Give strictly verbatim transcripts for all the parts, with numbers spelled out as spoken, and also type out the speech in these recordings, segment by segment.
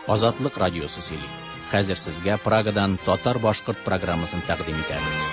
Азатлык радиосы сөйли. Хәзер сезгә Прагадан татар-башкорт программасын тәкъдим итәбез.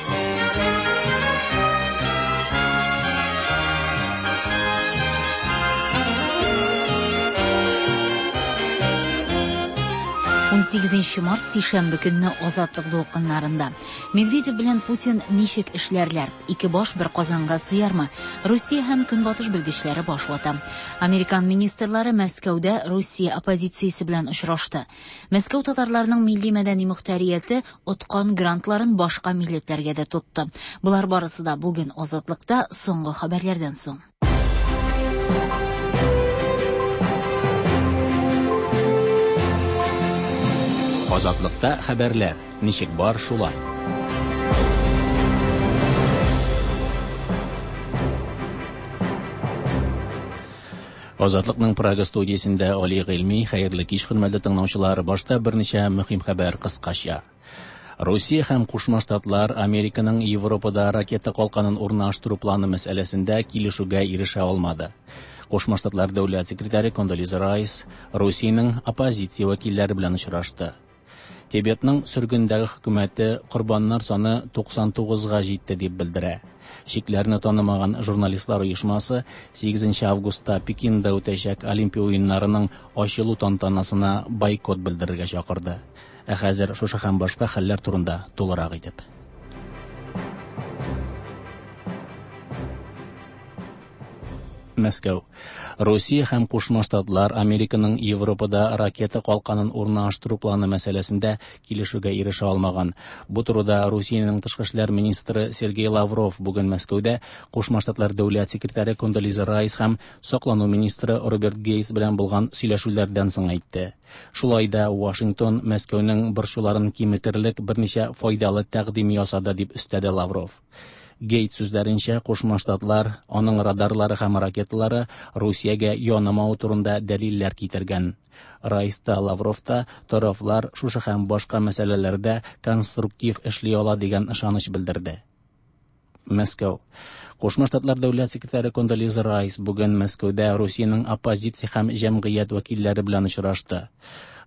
Унсигезенче март сишәмбе көнне Азатлык дулкыннарында. Медведев белән Путин ничек эшләрләр? Ике баш бер казанга сыярмы? Русия һәм Көнбатыш белгечләре баш вата. Американ министрлары Мәскәүдә Русия оппозициясе белән очрашты. Мәскәү татарларының милли мәдәни мөхтәрияте откан грантларын башка милләтләргә дә тотты. Болар барысы да бүген Азатлыкта соңгы хәбәрләрдән соң. Азатлыкта хәбәрләр ничек бар шулай. Азатлыкның Прага студиясендә Али Гыйльми, хәерле кич, хөрмәтле тыңлаучылар. Башта берничә мөһим хәбәр кыскача. Русия һәм Кушма Штатлар Американың Европада ракета калканын урнаштыру планы мәсьәләсендә килешүгә ирешә алмады. Кушма Штатлар дәүләт секретаре Кондолиза Райс Русиянең оппозиция вәкилләре белән очрашты. Тибетның сөргендәге хөкүмәте корбаннар саны туксан тугызга җитте дип белдерә. Чикләрне танымаган журналистлар оешмасы сигезенче августта Пекинда үтәчәк Олимпия уеннарының ачылу тантанасына бойкот белдерергә чакырды. Ә хәзер шушы һәм башка хәлләр турында тулырак итеп. Мәскәү. Русия һәм Кушма Штатлар Американың Европада ракета калканын урнаштыру планы мәсьәләсендә килешүгә ирешә алмаган. Бу турыда Русиянең тышкы эшләр министры Сергей Лавров бүген Мәскәүдә Кушма Штатлар дәүләт секретаре Кондолиза Райс һәм саклану министры Роберт Гейтс белән булган сөйләшүләрдән соң әйтте. Шулай да Вашингтон Мәскәүнең борчуларын киметерлек берничә файдалы тәкъдим ясады дип өстәде Лавров. Гейтс сүзләренчә, Кушма Штатлар аның радарлары һәм ракеталары Русиягә янамау турында дәлилләр китергән. Райс та Лавров та тарафлар шушы һәм башка мәсьәләләрдә конструктив эшли ала дигән ышаныч белдерде. Мәскәү. Кушма Штатлар дәүләт секретаре Кондолиза Райс бүген Мәскәүдә Русиянең оппозиция һәм җәмгыять вәкилләре белән очрашты.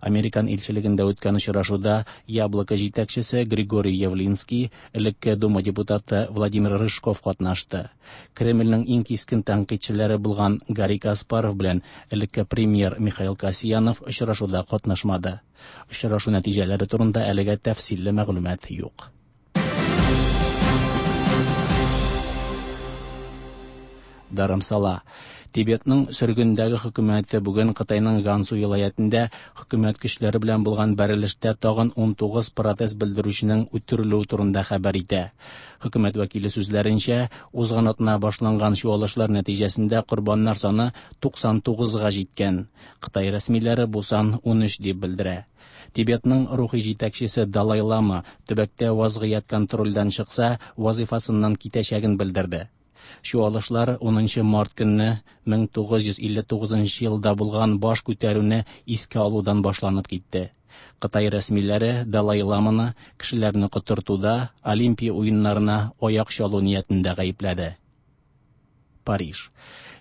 Американ илчелегендә үткән очрашуда Яблоко җитәкчесе Григорий Явлинский, элекке Дума депутаты Владимир Рыжков катнашты. Кремльнең иң кискен тәнкыйтьчеләре булган Гарри Каспаров белән элекке премьер Михаил Касьянов очрашуда катнашмады. Очрашу нәтиҗәләре турында әлегә тәфсилле мәгълүмат юк. Дарамсала. Тибетның сөргендәге хөкүмәте бүген Кытайның Гансу вилаятендә хөкүмәт көчләре белән булган бәрелештә тагын ун тугыз протест белдерүченең үтерелүе турында хәбәр итә. Хөкүмәт вәкиле сүзләренчә, узган атна башланган чуалышлар нәтиҗәсендә корбаннар саны туксан тугызга җиткән. Кытай рәсмиләре бу сан ун өч дип белдерә. Тибетның рухи җитәкчесе Далай Лама төбәктә вазгыять контрольдән чыкса, вазифасыннан китәчәген белдерде. Чуалышлар унынчы март көнне мең тугыз йөз илле тугызынчы елда булган баш күтәрүне искә алудан башланып китте. Кытай рәсмиләре Далай Ламаны кешеләрне котыртуда Олимпия уеннарына аяк чалу ниятендә гаепләде. Париж.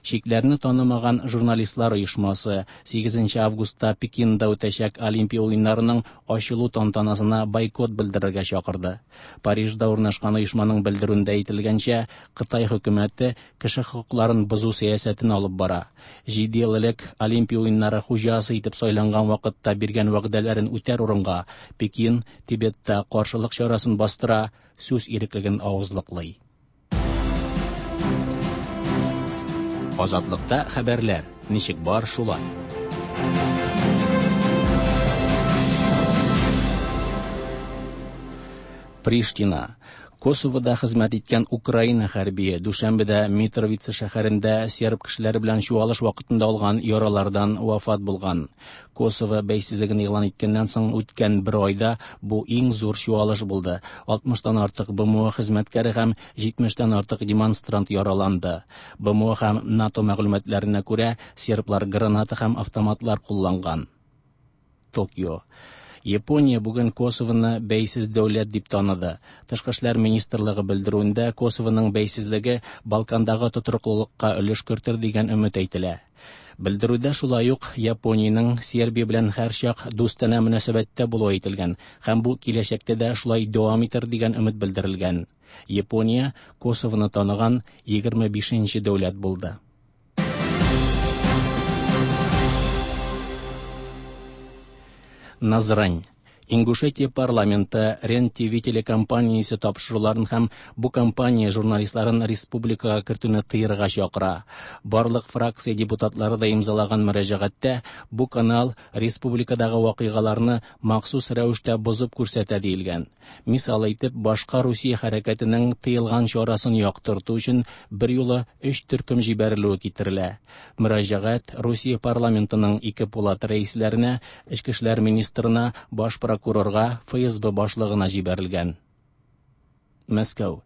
Чикләрне танымаган журналистлар оешмасы сигезенче августта Пекинда үтәчәк Олимпия уеннарының ачылу тантанасына бойкот белдерергә чакырды. Парижда урнашкан оешманың белдерүендә әйтелгәнчә, Кытай хөкүмәте кеше хокукларын бозу сәясәтен алып бара. Җиде ел элек Олимпия уеннары хуҗасы итеп сайланган вакытта биргән вәгъдәләрен үтәр урынга Пекин Тибетта каршылык чарасын бастыра, сүз иреклеген авызлыклый. Азатлыкта хәбәрләр ничек бар шулай. Приштина. Косовода хезмәт иткән Украина хәрбие Дүшәнбедә Митровица шәһәрендә серб кешеләре белән чуалыш вакытында алган яралардан вафат булган. Косово бәйсезлеген игълан иткәннән соң үткән бер айда бу иң зур чуалыш булды. Алтмыштан артык Б М О хезмәткәре һәм җитмештән артык демонстрант яраланды. Б М О һәм НАТО мәгълүматларына күрә, серблар граната һәм автоматлар кулланган. Токио. Япония бүген Косовоны бәйсез дәүләт дип таныды. Тышкы эшләр министрлыгы белдерүендә Косовоның бәйсезлеге Балкандагы тотрыклылыкка өлеш кертер дигән өмет әйтелә. Белдерүдә шулай ук Япониянең Сербия белән һәрчак дустанә мөнәсәбәттә булуы әйтелгән һәм бу киләчәктә дә шулай дәвам итер дигән өмет белдерелгән. Япония Косовоны таныган егерме бишенче дәүләт булды. Назрань. Ингушетия парламенты Рен-ТВ телекомпаниясе тапшыруларын һәм бу компания журналистларын республикага кертүне тыярга чакыра. Барлык фракция депутатлары да имзалаган мөрәҗәгатьтә бу канал республикадагы вакыйгаларны махсус рәвештә бозып күрсәтә диелгән. Мисал әйтеп, башка Русия хәрәкәтенең тыелган чарасын яктырту өчен бер юлы өч төркем җибәрелүе китерелә. Мөрәҗәгать Русия парламентының ике палата рәисләренә, эчке эшләр министрына, баш прокурорга, Эф Эс Бэ башлыгына җибәрелгән. Мәскәү.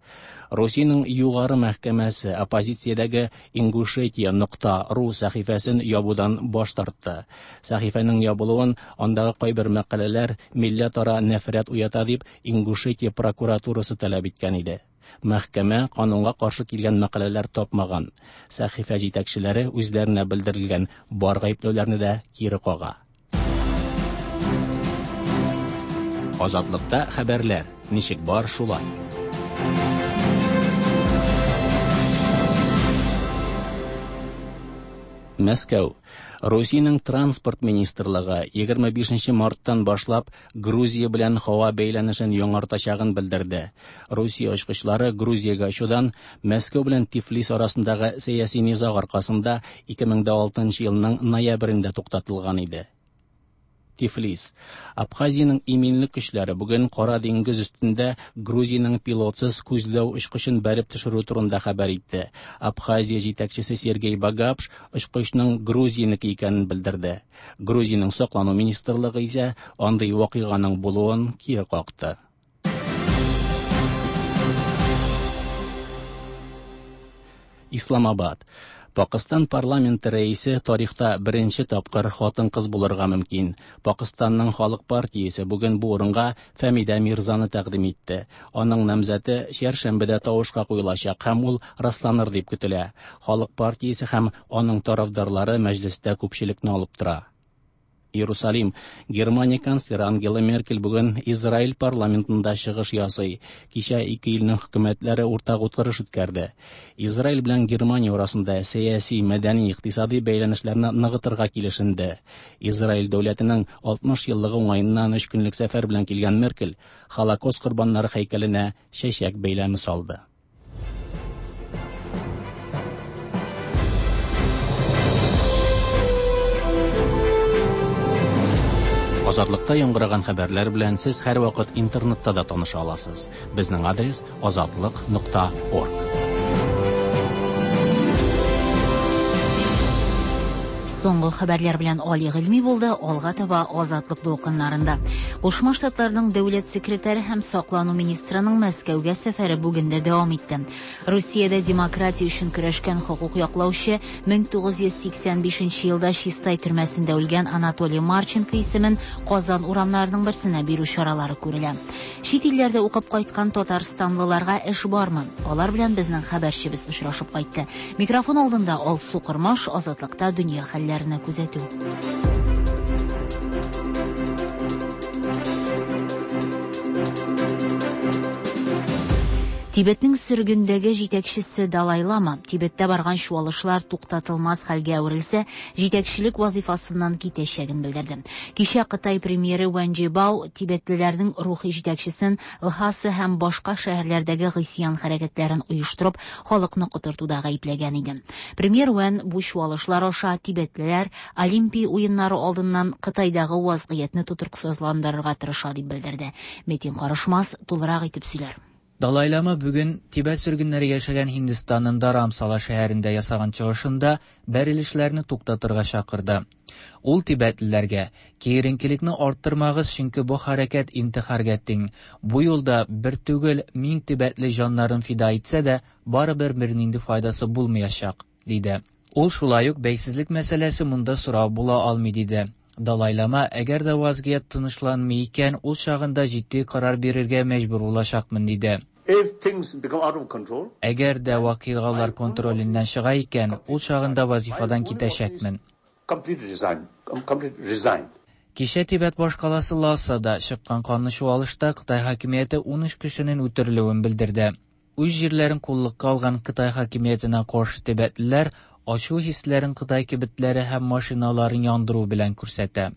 Русиянең югары мәхкәмәсе оппозициядәге Ингушетия нокта ру сәхифәсен ябудан баш тартты. Сәхифәнең ябылуын андагы кайбер мәкаләләр милләтара нәфрәт уята дип Ингушетия прокуратурасы таләп иткән иде. Мәхкәмә канунга каршы килгән мәкаләләр тапмаган. Сәхифә җитәкчеләре үзләренә белдерелгән бар гаепләүләрне дә кире кага. Азатлыкта хәбәрләр ничек бар шулай. Мәскәү. Русиянең транспорт министрлыгы егерме бишенче марттан башлап Грузия белән һава бәйләнешен яңартачагын белдерде. Русия очкычлары Грузиягә очудан Мәскәү белән Тифлис арасындагы сәяси низаг аркасында ике мең дә алтынчы елның ноябрендә туктатылган иде. Тифлис. Абхазиянең иминлек көчләре бүген Кара диңгез өстендә Грузиянең пилотсыз күзләү очкычын бәреп төшерү турында хәбәр итте. Абхазия җитәкчесе Сергей Багапш очкычның Грузиянеке икәнен белдерде. Грузиянең саклану министрлыгы исә андый вакыйганың булуын кире какты. Исламабад. Пакыстан парламенты рәисе тарихта беренче тапкыр хатын-кыз булырга мөмкин. Пакыстанның Халык партиясе бүген бу урынга Фәмидә Мирзаны тәкъдим итте. Аның намзәте чәршәмбедә тавышка куелачак һәм ул расланыр дип көтелә. Халык партиясе һәм аның тарафдарлары мәҗлестә күпчелекне алып тора. Иерусалим. Германия канцлеры Ангела Меркель бүген Израиль парламентында чыгыш ясый. Кичә ике илнең хөкүмәтләре уртак утырыш үткәрде. Израиль белән Германия арасында сәяси, мәдәни, икътисади бәйләнешләрне ныгытырга килешенде. Израиль дәүләтенең алтмыш еллыгы уңаеннан өч көнлек сәфәр белән килгән Меркель Холокост корбаннары һәйкәленә чәчәк бәйләме салды. Азатлыкта яңгыраган хәбәрләр белән сез һәрвакыт интернетта да таныша аласыз. Безнең адрес азатлык нокта орг. Соңгы хәбәрләр белән Али Гыйльми булды, алга таба Азатлык дулкыннарында. Кушма Штатларның дәүләт секретаре һәм саклану министрының Мәскәүгә сәфәре бүген дә дәвам итте. Русиядә демократия өчен көрәшкән хокук яклаучы мең тугыз йөз сиксән бишенче елда Чистай төрмәсендә үлгән Анатолий Марченко исемен Казан урамнарының берсенә бирү чаралары күрелә. Чит илләрдә укып кайткан татарстанлыларга эш бармы? Алар белән безнең хәбәрчебез очрашып кайтты. Микрофон алдында Алсу Кырмаш, Азатлыкта дөнья хәлләренә күзәтү. Тибетнең сөргендәге җитәкчесе Далай Лама Тибеттә барган чуалышлар туктатылмас хәлгә әверелсә, җитәкчелек вазифасыннан китәчәген белдерде. Кичә Кытай премьеры Ван Джибао тибетлеләрнең рухи җитәкчесен Лхаса һәм башка шәһәрләрдәге гыйсьян хәрәкәтләрен оештырып, халыкны котыртуда гаепләгән иде. Премьер Ван бу чуалышлар аша тибетлеләр Олимпия уеннары алдыннан Кытайдагы вазгыятьне тотрыксызландырырга тырыша дип белдерде. Метин Карышмас тулырак итеп сөйләр. Далай Лама бүген Тибет сөргеннәре яшәгән Һиндстанның Dharamsala шәһәрендә ясаган чыгышында бәрелешләрне туктатырга чакырды. Ул тибетлеләргә киеренкелекне арттырмагыз, чөнки бу хәрәкәт интихарга тиң. Бу юлда бер түгел мең тибетле җаннарын фида итсә дә, барыбер бернинди файдасы булмаячак, диде. Ул шулай ук бәйсезлек мәсьәләсе монда сорау була алмый, диде. Далай-лама, әгәр дә вазгыять тынычланмый икән, ул чагында җитди карар бирергә мәҗбүр булачакмын, диде. Әгәр дә вакыйгалар контроленнән чыга икән, ул чагында вазифадан китәчәкмен. Кичә Тибет башкаласы Ласада чыккан канлы чуалышта Кытай хакимияте унөч кешенең үтерелүен белдерде. Үз җирләрен куллыкка алган Кытай хакимиятенә каршы тибетлеләр ачу хисләрен Кытай кибетләре һәм машиналарын яндыру белән күрсәтә.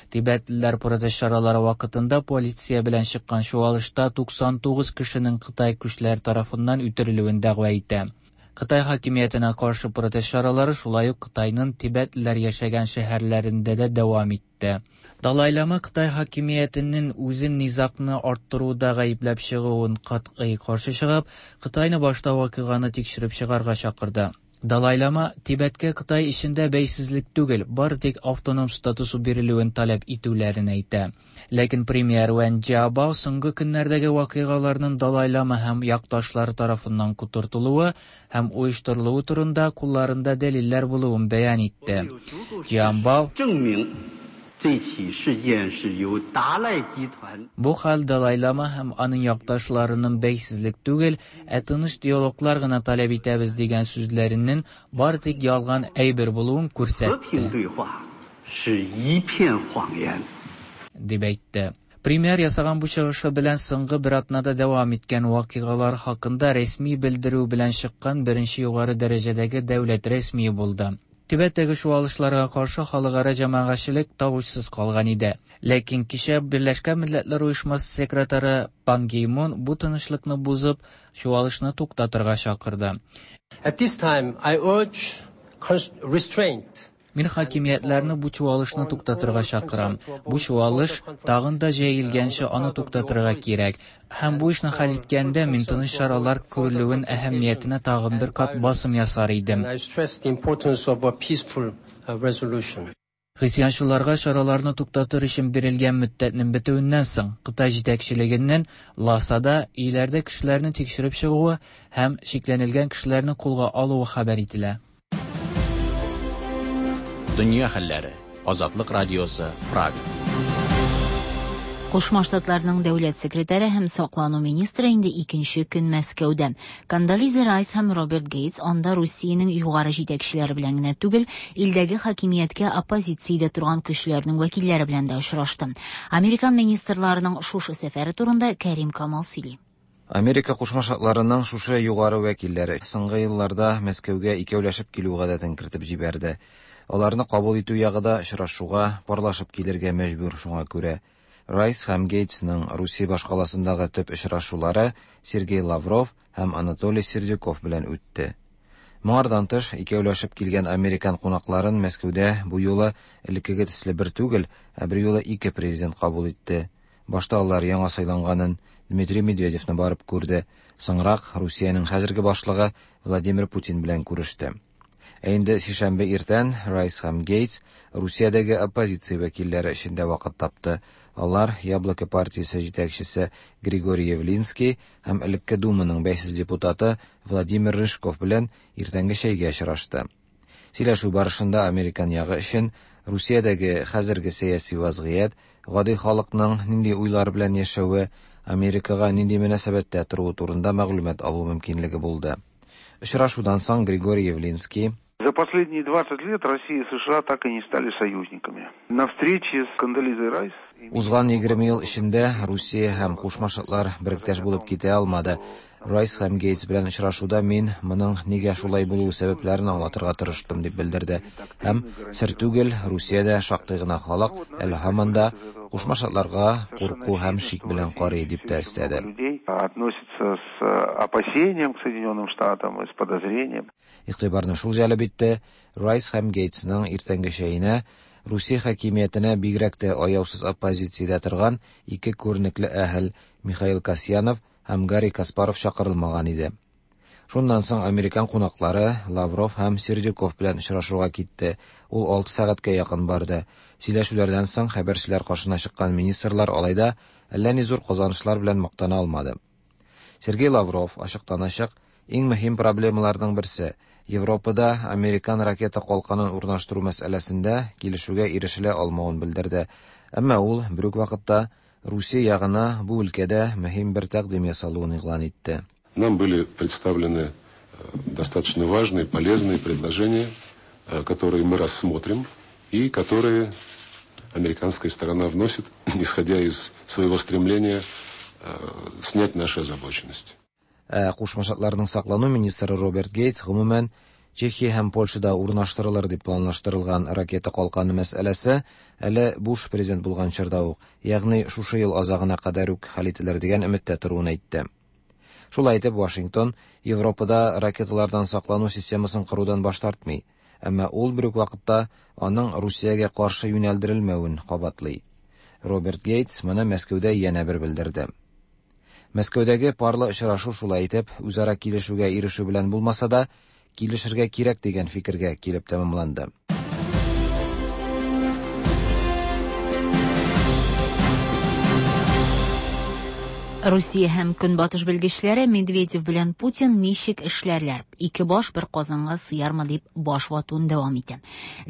Тибетлеләр протест чаралары вакытында полиция белән чыккан чуалышта туксан тугыз кешенең Кытай көчләре тарафыннан үтерелүен дәгъва итә. Кытай хакимиятенә каршы протест чаралары шулай ук Кытайның тибетлеләр яшәгән шәһәрләрендә дә дәвам итте. Далай-лама Кытай хакимиятенең үзен низагны арттыруда гаепләп чыгуын катгый каршы чыгып, Кытайны башта вакыйганы тикшереп чыгарга чакырды. Далай-лама Тибеткә Кытай эчендә бәйсезлек түгел, бары тик автоном статусы бирелүен таләп итүләрен әйтә. Ләкин премьер Вэн Джиабао соңгы көннәрдәге вакыйгаларның Далай-лама һәм якташлары тарафыннан котыртылуы һәм оештырылуы турында кулларында дәлилләр булуын бәян итте. Джиабао Бу хәл Далай-лама һәм аның якташларының бәйсезлек түгел, ә тыныч диалоглар гына таләп итәбез дигән сүзләренең бары тик ялган әйбер булуын күрсәтте. Дип әйтте. Премьер ясаган бу чыгышы белән соңгы бер атнада дәвам иткән вакыйгалар хакында рәсми белдерү белән чыккан беренче югары дәрәҗәдәге дәүләт рәсмие булды. Тибеттәге чуалышларга каршы халыкара җәмәгатьчелек тавышсыз калган иде. Ләкин кичә Берләшкән Милләтләр Оешмасы секретаре Пан Ги Мун бу тынычлыкны бозып, чуалышны туктатырга чакырды. At this time, I urge restraint. Мин хакимиятләрне бу чуалышны туктатырга чакырам. Бу чуалыш тагын да җәелгәнче аны туктатырга кирәк. Һәм бу эшне хәл иткәндә мин тыныч чаралар күрелүен әһәмиятенә тагын бер кат басым ясар идем. Христианчыларга чараларны туктатыр өчен бирелгән мөддәтнең бетүеннән соң Кытай җитәкчелегеннән Ласада өйләрдә кешеләрне тикшереп чыгуы һәм шикләнелгән кешеләрне кулга алуы хәбәр ителә. Дөнья хәлләре. Азатлык радиосы, Прага. Кушма Штатларның дәүләт секретаре һәм саклану министры инде икенче көн Мәскәүдә. Кондолиза Райс һәм Роберт Гейтс анда Русиянең югары җитәкчеләре белән генә түгел, илдәге хакимияткә оппозициядә торган көчләрнең вәкилләре белән дә очрашты. Американ министрларының шушы сәфәре турында Кәрим Камал сөйли. Америка Кушма Штатларының шушы югары вәкилләре соңгы елларда Мәскәүгә икәүләшеп килү гадәтен кертеп җибәрде. Аларны кабул итү ягы да очрашуга парлашып килергә мәҗбүр, шуңа күрә. Райс һәм Гейтсның Русия башкаласындагы төп очрашулары Сергей Лавров һәм Анатолий Сердюков белән үтте. Моңардан тыш, икәүләшеп килгән американ кунакларын Мәскәүдә бу юлы элеккеге төсле бер түгел, ә бер юлы ике президент кабул итте. Башта алар яңа сайланганын Дмитрий Медведевны барып күрде, соңрак Русиянең хәзерге башлыгы Владимир Путин белән күреште. Ә инде сишәмбе иртән Райс һәм Гейтс Русиядәге оппозиция вәкилләре эчендә вакыт тапты. Алар Яблоко партиясе җитәкчесе Григорий Явлинский һәм элекке Думаның бәйсез депутаты Владимир Рыжков белән иртәнге чәйгә очрашты. Сөйләшү барышында американ ягы өчен Русиядәге хәзерге сәяси вазгыять, гади халыкның нинди уйлар белән яшәве, Америкага нинди мөнәсәбәттә торуы турында мәгълүмат алу мөмкинлеге булды. Очрашудан соң Григорий Явлинский: За последние двадцать лет Россия и США так и не стали союзниками. На встрече с Кондолизой Райс Узган егерме ел эчендә Русия һәм Кушма Штатлар беректәш булып китә алмады. Райс һәм Гейтс белән очрашуда мин моның нигә шулай булуы сәбәпләрен аңлатырга тырыштым, дип белдерде. Һәм сер түгел, Русиядә шактый гына халык әле һаман да Кушма Штатларга курку һәм шик белән карый, дип тә өстәде. Относится с опасением к Соединенным Штатам и с подозрением. Игътибарны шул җәлеп итте. Райс һәм Гейтсның иртәнге чәенә Русия хакимиятенә бигрәк тә аяусыз оппозициядә торган ике күренекле әһел Михаил Касьянов һәм Гарри Каспаров чакырылмаган иде. Шуннан соң американ кунаклары Лавров һәм Сердюков белән очрашуга китте. Ул алты сәгатькә якын барды. Сөйләшүләрдән соң хәбәрчеләр каршына чыккан министрлар алай да әллә ни зур казанышлар белән мактана алмады. Сергей Лавров ачыктан-ачык иң мөһим проблемаларның берсе Европада американ ракета калканын урнаштыру мәсьәләсендә килешүгә ирешелә алмавын белдерде. Әмма ул бер үк вакытта Русия ягына бу өлкәдә мөһим бер тәкъдим ясалуын игълан итте. Нам были представлены достаточно важные, полезные предложения, которые мы рассмотрим и которые американская сторона вносит, исходя из своего стремления снять наши озабоченности. Ә Кушма Штатларның саклану министры Роберт Гейтс гомумән Чехия һәм Польшада урнаштырылыр дип планлаштырылган ракета калканы мәсьәләсе әле Буш президент булган чорда ук, ягъни шушы ел азагына кадәр үк хәл ителер дигән өметтә торуын әйтте. Шулай итеп, Вашингтон Европада ракеталардан саклану системасын корудан баш тартмый, әмма ул бер үк вакытта аның Русиягә каршы юнәлдерелмәвен кабатлый. Роберт Гейтс моны Мәскәүдә янә бер белдерде. Мәскәүдәге парлы очрашу шулай итеп үзара килешүгә ирешү белән булмаса да, килешергә кирәк дигән фикергә килеп тәмамланды. Русия һәм Көнбатыш белгечләре Медведев белән Путин ничек эшләрләр? Ике баш бер казанга сыярмы дип баш ватуын дәвам итә.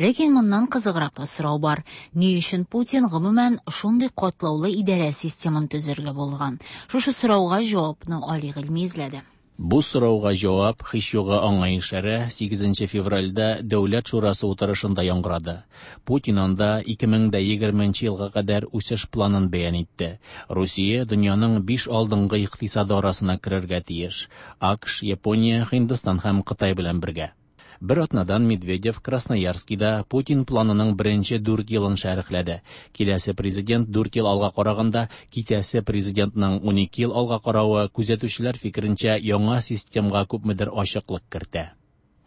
Ләкин моннан кызыграк та сорау бар. Ни өчен Путин гомумән шундый катлаулы идарә системын төзергә булган? Шушы сорауга җавапны Али Гыйльми эзләде. Бу сорауга җавап һич югы аңа ишарә сигезенче февральдә Дәүләт шурасы утырышында яңгырады. Путин анда ике мең дә егерменче елга кадәр үсеш планын бәян итте. Русия дөньяның биш алдынгы икътисады арасына керергә тиеш. АКШ, Япония, Һиндстан һәм Кытай белән бергә. Бер атнадан Медведев Красноярскида Путин планының беренче дүрт елын шәрехләде. Киләсе президент дүрт ел алга караганда, китәсе президентның унике ел алга каравы күзәтүчеләр фикеренчә яңа системга күпмедер ачыклык кертә.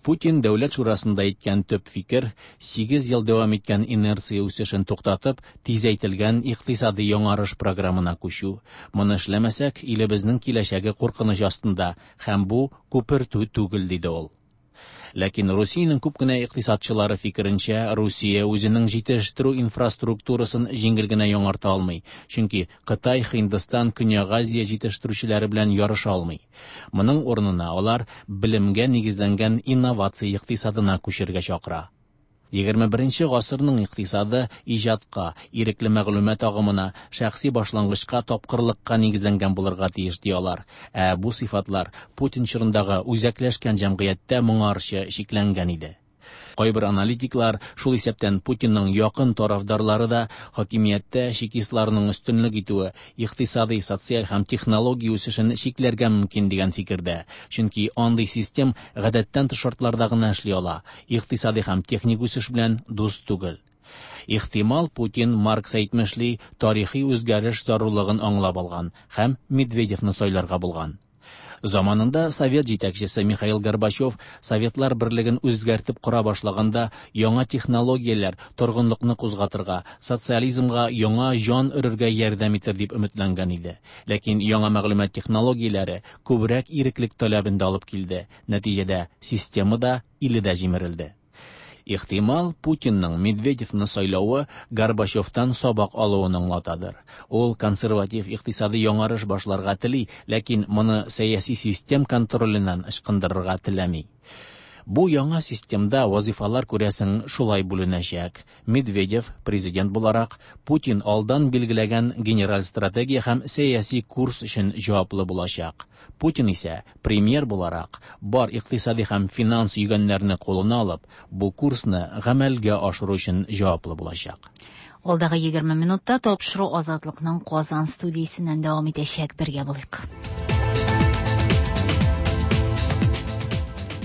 Путин Дәүләт шурасында әйткән төп фикер сигез ел дәвам иткән инерция үсешен туктатып, тизәйтелгән икътисади яңарыш программына күчү. Моны эшләмәсәк, илебезнең киләчәге куркыныч астында һәм бу күпертү түгел, диде ул. Ләкин Русиянең күп кенә икътисадчылары фикеренчә, Русия үзенең җитештерү инфраструктурасын җиңел генә яңарта алмый, чөнки Кытай, Һиндстан, Көньяк Азия җитештерүчеләре белән ярыша алмый. Моның урынына алар белемгә нигезләнгән инновация икътисадына күчергә чакыра. Егерме беренче гасырның икътисады иҗатка, ирекле мәгълүмат агымына, шәхси башлангычка, тапкырлыкка нигезләнгән булырга тиеш, ди алар. Ә бу сыйфатлар Путин чорындагы үзәкләшкән җәмгыятьтә моңарчы чикләнгән иде. Кайбер аналитиклар, шул исәптән Путинның якын тарафдарлары да, хакимияттә чекистларның өстенлек итүе икътисади, социаль һәм технология үсешен чикләргә мөмкин дигән фикердә. Чөнки андый систем гадәттән тыш шартларда гына эшли ала, икътисади һәм техник үсеш белән дус түгел. Ихтимал, Путин Маркс әйтмешли тарихи үзгәреш зарурлыгын аңлап алган һәм Медведевны сайларга булган. Заманында Совет җитәкчесе Михаил Горбачев Советлар берлеген үзгәртеп кора башлаганда яңа технологияләр торгынлыкны кузгатырга, социализмга яңа җан өрергә ярдәм итер дип өметләнгән иде. Ләкин яңа мәгълүмат технологияләре күбрәк иреклек таләбен дә алып килде. Нәтиҗәдә система да, иле дә җимерелде. Ихтимал, Путинның Медведевны сайлавы Горбачевтан сабак алуын аңлатадыр. Ул консерватив икътисади яңарыш башларга тели, ләкин моны сәяси систем контроленнән ычкындырырга теләми. Бу яңа системда вазифалар күрәсең шулай бүленәчәк. Медведев президент буларак Путин алдан билгеләгән генераль стратегия һәм сәяси курс өчен җаваплы булачак. Путин исә премьер буларак бар икътисади һәм финанс йөгәннәрне кулына алып, бу курсны гамәлгә ашыру өчен җаваплы булачак. Алдагы егерме минутта тапшыру Азатлыкның Казан студиясеннән дәвам итәчәк. Бергә булыйк.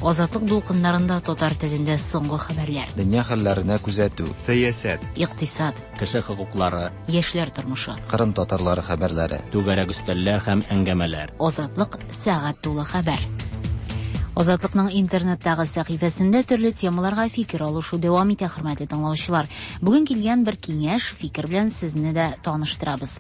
Азатлык дулкыннарында татар телендә соңгы хәбәрләр. Дөнья хәлләренә күзәтү. Сәясәт. Икътисад. Кеше хокуклары. Яшьләр тормышы. Кырым татарлары хәбәрләре. Түгәрәк өстәлләр һәм әңгәмәләр. Азатлык сәгать тулы хәбәр. Азатлыкның интернеттагы сәхифәсендә төрле темаларга фикер алышу дәвам итә, хөрмәтле тыңлаучылар. Бүген килгән бер киңәш, фикер белән сезне дә таныштырабыз.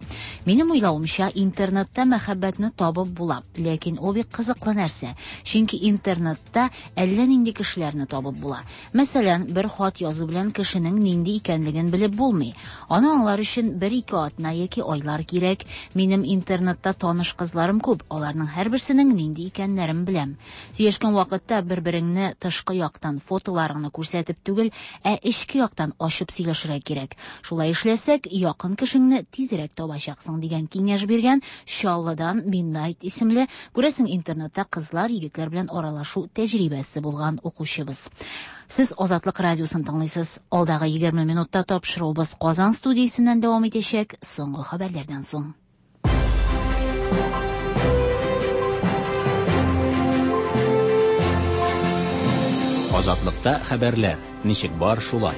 Минем уйлавымча, интернетта мәхәббәтне табып була, ләкин ул бик кызыклы нәрсә. Чөнки интернетта әллә нинди кешеләрне табып була. Мәсәлән, бер хат язу белән кешенең нинди икәнлеген белеп булмый. Аны аңлар өчен бер-ике атна яки айлар кирәк. Минем интернетта таныш кызларым күп, аларның һәрберсенең нинди икәннәрен беләм. Сөйләшкән Якын вакытта бер-береңне тышкы яктан фотоларыңны күрсәтеп түгел, ә эчке яктан ачып сөйләшергә кирәк. Шулай эшләсәк, якын кешеңне тизрәк табачаксың дигән киңәш биргән Чаллыдан Midnight исемле, күрәсең, интернетта кызлар, егетләр белән аралашу тәҗрибәсе булган укучыбыз. Сез Азатлык радиосын тыңлыйсыз. Алдагы егерме минутта тапшыруыбыз Казан студиясеннән дәвам итәчәк. Соңгы хәбәрләрдән соң. Азатлыкта хәбәрләр ничек бар шулай.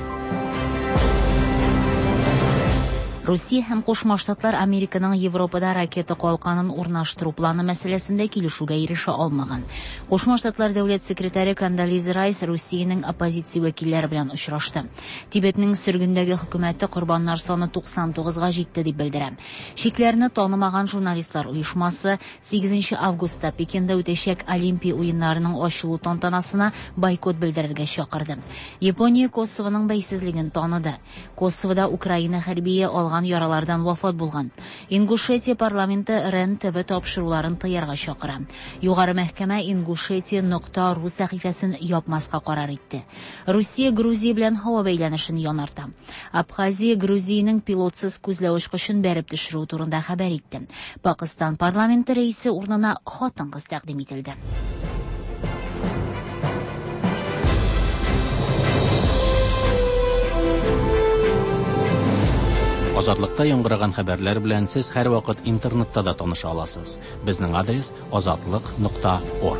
Русия һәм Кушма Штатлар Американың Европада ракета калканын урнаштыру планы мәсьәләсендә килешүгә ирешә алмаган. Кушма Штатлар дәүләт секретаре Кондолиза Райс Русиянең оппозиция вәкилләре белән очрашты. Тибетнең сөргендәге хөкүмәте корбаннар саны туксан тугызга җитте дип белдерә. Чикләрне танымаган журналистлар оешмасы сигезенче августта Пекинда үтәчәк Олимпия уеннарының ачылу тантанасына бойкот белдерергә чакырды. Япония Косовоның бәйсезлеген таныды. Косовода Украина хәрбие алган яралардан вафат булган. Ингушетия парламенты Рен ТВ тапшыруларын тыярга чакыра. Югары мәхкәмә Ингушетия нокта ру сәхифәсен япмаска карар итте. Русия Грузия белән һава бәйләнешен янарта. Абхазия Грузиянең пилотсыз күзләү очкычын бәреп төшерү турында хәбәр итте. Пакистан парламенты рәисе урынына хатын-кыз тәкъдим ителде. Азатлыкта яңгыраган хәбәрләр белән сез һәр вакыт интернетта да таныша аласыз. Безнең адрес азатлык нокта орг.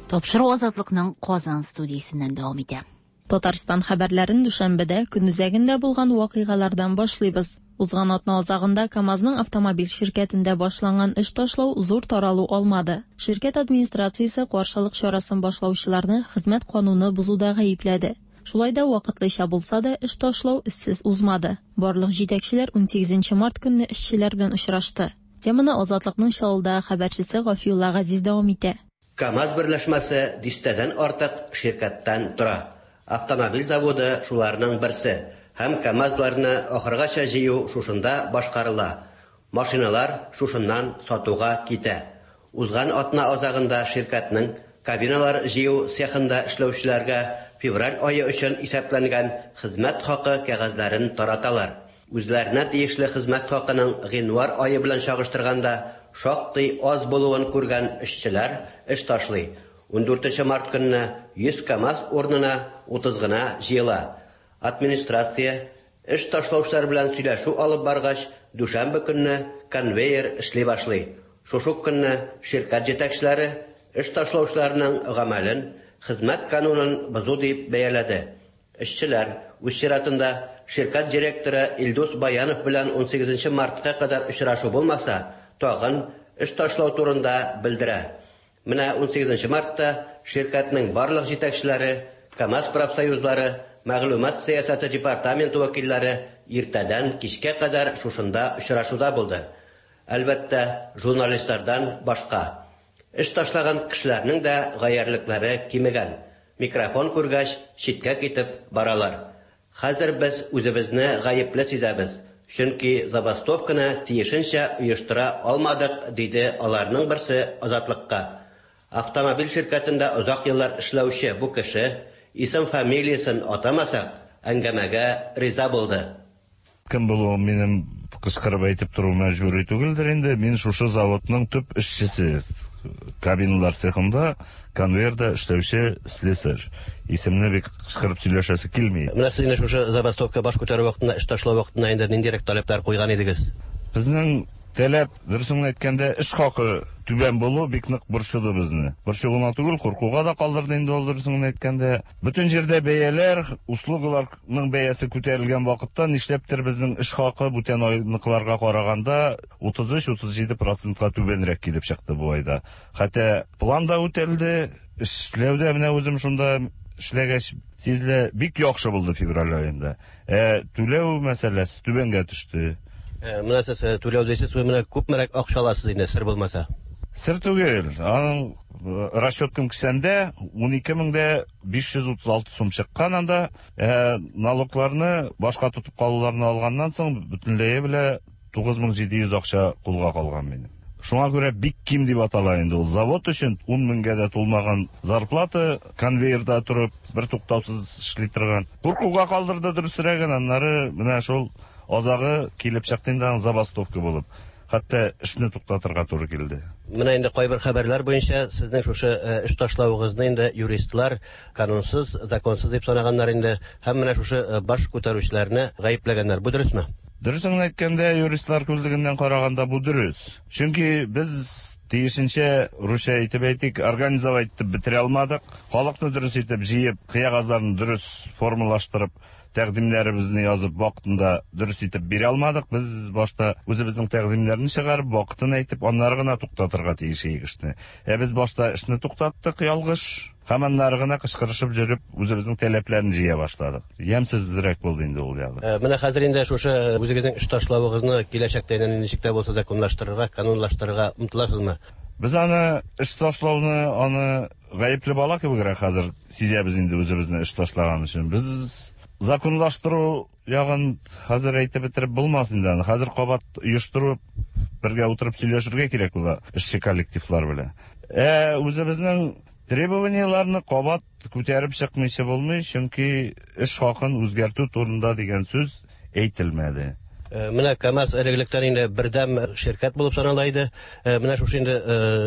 Тапшыру Азатлыкның Казан студиясеннән дәвам итә. Татарстан хәбәрләрен дүшәмбедә көн үзәгендә булган вакыйгалардан башлыйбыз. Узган атна азагында КАМАЗның автомобиль ширкәтендә башланган эш ташлау зур таралу алмады. Ширкәт администрациясе каршылык чарасын башлаучыларны хезмәт кануны бозуда гаепләде. Шулай да вакытлыча булса да эш ташлау эзсез узмады. Барлык җитәкчеләр унсигезенче март көнне эшчеләр белән очрашты. Теманы Азатлыкның Чаллыдагы хәбәрчесе Гафиулла Газиз дәвам итә. КАМАЗ берләшмәсе дистәдән артык ширкәттән тора. Автомобиль заводы шуларның берсе. Һәм КАМАЗларны ахыргача җыю шушында башкарыла. Машиналар шушыннан сатуга китә. Узган атна азагында ширкәтнең кабиналар җыю цехында эшләүчеләргә февраль ае өчен исәпләнгән хезмәт хакы кәгазьләрен тараталар. Үзләренә тиешле хезмәт хакының гыйнвар ае белән чагыштырганда шактый аз булуын күргән эшчеләр эш ташлый. Ундүртенче март көнне йөз КАМАЗ урынына утыз гына җыела. Администрация эш ташлаучылар белән сөйләшү алып баргач, дүшәмбе көнне конвейер эшли башлый. Шушы көнне ширкәт җитәкчеләре эш ташлаучыларның гамәлен хезмәт канунын бозу дип бәяләде. Эшчеләр үз чиратында ширкәт директоры Илдус Баянов белән унсигезенче мартка кадәр очрашу булмаса, тагын эш ташлау турында белдерә. Менә унсигезенче мартта ширкәтнең барлык җитәкчеләре, КАМАЗ профсоюзлары, мәгълүмат сәясәте департаменты вәкилләре иртәдән кичкә кадәр шушында очрашуда булды. Әлбәттә, журналистлардан башка. Эш ташлаган кешеләрнең дә гаярлекләре кимегән. Микрофон күргәч, читкә китеп баралар. Хәзер без үзебезне гаепле сизәбез, чөнки забастовканы тиешенчә оештыра алмадык, диде аларның берсе Азатлыкка. Автомобиль ширкәтендә озак еллар эшләүче бу кеше исем фамилиясен атамасак, әңгәмәгә риза булды. Кем булуым минем кычкырып әйтеп тору мәҗбүри түгелдер инде. Мин шушы заводның төп эшчесе, кабиналар цехында конвейерда эшләүче слесарь. Исемне бик кычкырып сөйләшәсе килми. Менә сез инде шушы забастовка баш күтәрү вакытында, эш ташлау вакытында инде ниндирәк таләпләр куйган идегез? Безнең таләп, дөресен әйткәндә, эш хакы түбән булу бик нык борчыды безне. Борчу гына түгел, куркуга да калдырды инде ул, дөресен әйткәндә. Бөтен җирдә бәяләр, услугаларның бәясе күтәрелгән вакытта нишләптер безнең эш хакы бүтән айныкыларга караганда утыз өч утыз җиде процентка түбәнрәк килеп чыкты бу айда. Хәтта план да үтәлде, эшләүдә менә үзем шунда эшләгәч сизелә, бик яхшы булды февраль аенда. Ә түләү мәсьәләсе түбәнгә төште. Менә сез түләү дисез, менә күпмерәк акча аласыз инде, сер булмаса? Сер түгел. Аның расчеткам кесәндә ун ике мең дә биш йөз утыз алты сум чыккан анда. Ә налогларны башка тотып калуларны алганнан соң бөтенләе белә тугыз мең җиде йөз акча кулга калган минем. Шуңа күрә бик ким дип атала инде ул. Завод өчен ун меңгә дә тулмаган зарплата, конвейерда торып, бер туктаусыз эшли торган. Куркуга калдырды дөресрәген, аннары менә шул азагы килеп чыкты инде аның забастовка булып. Хәтта эшне туктатырга туры килде. Менә инде кайбер хәбәрләр буенча сезнең шушы эш ташлавыгызны инде юристлар канунсыз, законсыз дип санаганнар инде һәм менә шушы баш күтәрүчеләрне гаепләгәннәр. Бу дөресме? Дөресен әйткәндә, юристлар күзлегеннән караганда бу дөрес. Чөнки без тиешенчә, русча әйтеп әйтик, организовать итеп бетерә алмадык. Халыкны дөрес итеп җыеп, кыягазларны дөрес формалаштырып, тәкъдимнәребезне язып вакытында дөрес итеп бирә алмадык. Без башта үзебезнең тәкъдимнәрне чыгарып, вакытын әйтеп, аннары гына туктатырга тиеш идек эшне. Ә без башта эшне туктаттык ялгыш, һәм аннары гына кычкырышып йөреп, үзебезнең таләпләрне җыя башладык. Ямьсезрәк булды инде ул ягы. Менә хәзер инде шушы үзегезнең эш ташлавыгызны киләчәктә инде ничек тә булса законлаштырырга, канунлаштырырга омтыласызмы? Без аны эш ташлауны, аны гаепле бала кебегрәк хәзер сизәбез инде үзебезне эш ташлаган өчен. Без законлаштыру ягын хәзер әйтеп бетереп булмас инде аны. Хәзер кабат оештырып, бергә утырып сөйләшергә кирәк була эшче коллективлар белән. Ә үзебезнең требованияләрне кабат күтәреп чыкмыйча булмый, чөнки эш хакын үзгәртү турында дигән сүз әйтелмәде. Менә КАМАЗ элек-электән инде бердәм ширкәт булып санала иде. Менә шушы инде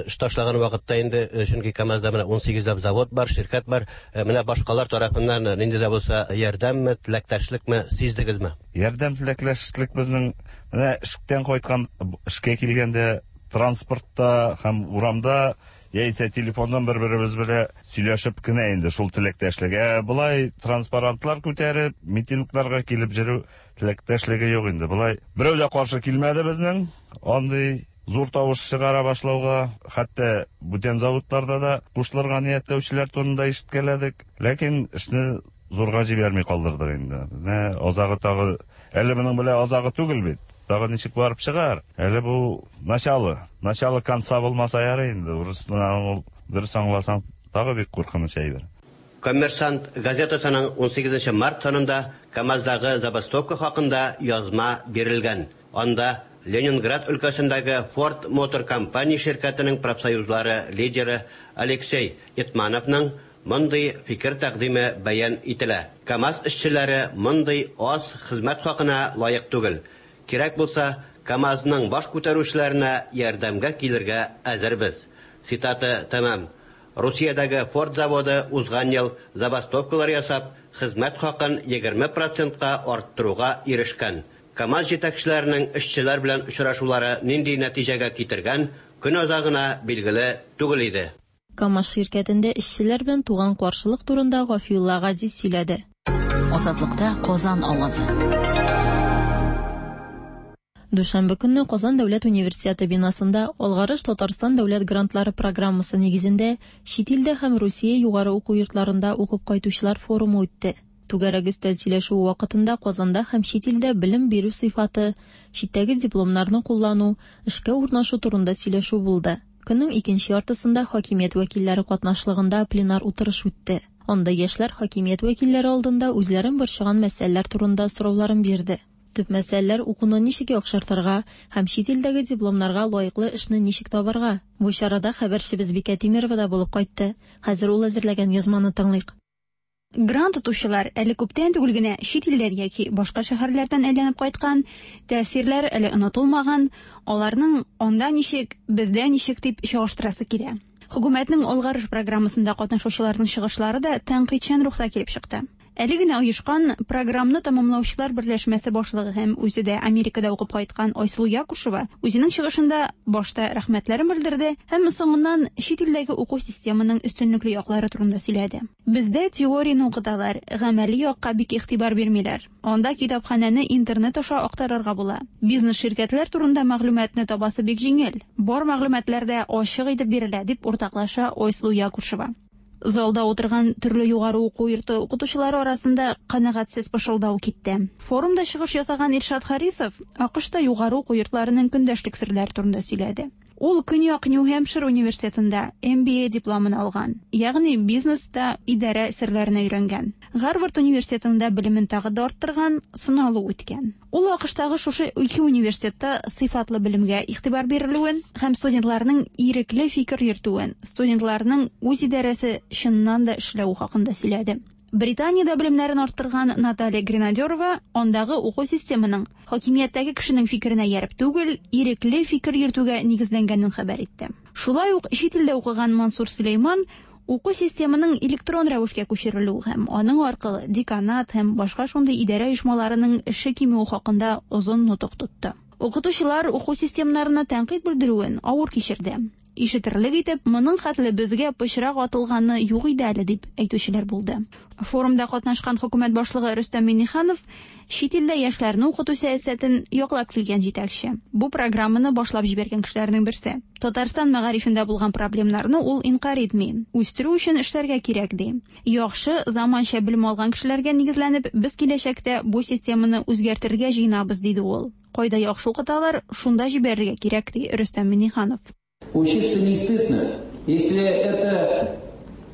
эш ташлаган вакытта инде, чөнки КАМАЗда менә ун сигезләп завод бар, ширкәт бар. Менә башкалар тарафыннан нинди дә булса ярдәмме, теләктәшлекме сиздегезме? Ярдәм, теләктәшлек безнең менә эштән кайткан, эшкә килгәндә транспортта һәм урамда яисә телефоннан бер-беребез белән сөйләшеп кенә инде шул теләктәшлек. Ә болай транспарантлар күтәреп, митингларга килеп йөрү теләктәшлеге юк инде. Болай берәү дә каршы килмәде безнең андый зур тавыш чыгара башлауга, хәтта бүтән заводларда да кушылырга ниятләүчеләр турында ишеткәләдек. Ләкин эшне зурга җибәрми калдырдык инде. Менә азагы тагы, әле моның белән азагы түгел бит. Тагы ничек барып чыгар? Әле бу начало, начало конца булмаса ярый инде. Урысны ул дөрес аңласаң, тагы бик куркыныч әйбер. Коммерсант газетасының ун сигезенче март санында КАМАЗдагы забастовка хакында язма бирелгән. Анда Ленинград өлкәсендәге Ford Motor Company ширкәтенең профсоюзлары лидеры Алексей Итмановның мондый фикер тәкъдиме бәян ителә. КАМАЗ эшчеләре мондый аз хезмәт хакына лаек түгел. Кирәк булса, КАМАЗның баш күтәрүчеләренә ярдәмгә килергә әзербез. Цитата тәмам. Русиядәге Ford заводы узган ел забастовкалар ясап, хезмәт хакын егерме процентка арттыруга ирешкән. КАМАЗ җитәкчеләренең эшчеләр белән очрашулары нинди нәтиҗәгә китергән, көн азагына билгеле түгел иде. КАМАЗ ширкәтендә эшчеләр белән туган каршылык турында Гафиулла Газиз сөйләде. Азатлыкта Казан авазы. Дүшәмбе көнне Казан дәүләт университеты бинасында Алгарыш Татарстан дәүләт грантлары программасы нигезендә чит илдә һәм Русия югары уку йортларында укып кайтучылар форумы үтте. Түгәрәк өстәл сөйләшүе вакытында Казанда һәм чит илдә белем бирү сыйфаты, читтәге дипломнарны куллану, эшкә урнашу турында сөйләшү булды. Көннең икенче яртысында хакимият вәкилләре катнашлыгында пленар утырыш үтте. Анда яшьләр хакимият вәкилләре алдында үзләрен борчыган мәсьәләләр турында сорауларын бирде. Төп мәсьәләләр укуны ничек яхшыртырга һәм чит илдәге дипломнарга лаеклы эшне ничек табарга. Бу чарада хәбәрчебез Бикә Тимирова да булып кайтты. Хәзер ул әзерләгән язманы тыңлыйк. Грант тотучылар әле күптән түгел генә чит илләр яки башка шәһәрләрдән әйләнеп кайткан, тәэсирләр әле онытылмаган, аларның анда ничек, бездә ничек дип чагыштырасы килә. Хөкүмәтнең Алгарыш программасында катнашучыларның чыгышлары да тәнкыйтьчән рухта килеп чыкты. Әле генә оешкан программны тәмамлаучылар берләшмәсе башлыгы һәм үзе дә Америкада укып кайткан Айсылу Якушева үзенең чыгышында башта рәхмәтләрен белдерде һәм соңыннан чит илдәге уку системының өстенлекле яклары турында сөйләде. Бездә теорияне укыталар, гамәли якка бик игътибар бирмиләр. Анда китапханәне интернет аша актарырга була. Бизнес ширкәтләр турында мәгълүматны табасы бик җиңел. Бар мәгълүматлар да ачык итеп бирелә, дип уртаклаша Айсылу Якушева. Залда утырган төрле югары уку йорты укытучылары арасында канәгатьсез пышылдау китте. Форумда чыгыш ясаган Илшат Харисов АКШта югары уку йортларының көндәшлек серләре турында сөйләде. Ул Көньяк Нью-Хэмпшир университетында эм би эй дипломын алган, ягъни бизнеста идарә серләренә өйрәнгән. Гарвард университетында белемен тагы да арттырган, сыналу үткән. Ул АКШтагы шушы ике университетта сыйфатлы белемгә игътибар бирелүен һәм студентларның ирекле фикер йөртүен, студентларның үз идарәсе чыннан да эшләве хакында сөйләде. Британиядә белемнәрен арттырган Наталья Гренадерова андагы уку системының хакимияттәге кешенең фикеренә ияреп түгел, ирекле фикер йөртүгә нигезләнгәнен хәбәр итте. Шулай ук чит илдә укыган Мансур Сөләйман уку системының электрон рәвешкә күчерелүе һәм аның аркылы деканат һәм башка шундый идарә оешмаларының эше кимүе хакында озын нотык тотты. Укытучылар уку системнарына тәнкыйть белдерүен авыр кичерде. Ишетерлек итеп, моның хәтле безгә пычрак атылганы юк иде әле дип әйтүчеләр булды. Форумда катнашкан хөкүмәт башлыгы Рөстәм Миңнеханов чит илдә яшьләрне укыту сәясәтен яклап килгән җитәкче. Бу программаны башлап җибәргән кешеләрнең берсе. Татарстан мәгарифендә булган проблемнарны ул инкарь итми. Үстерү өчен эшләргә кирәк ди. Яхшы заманча белем алган кешеләргә нигезләнеп, без киләчәктә бу системаны үзгәртергә җыенабыз, диде ул. Кайда яхшы укыталар, шунда җибәрергә кирәк, ди Рөстәм Миңнеханов. Учиться не стыдно. Если это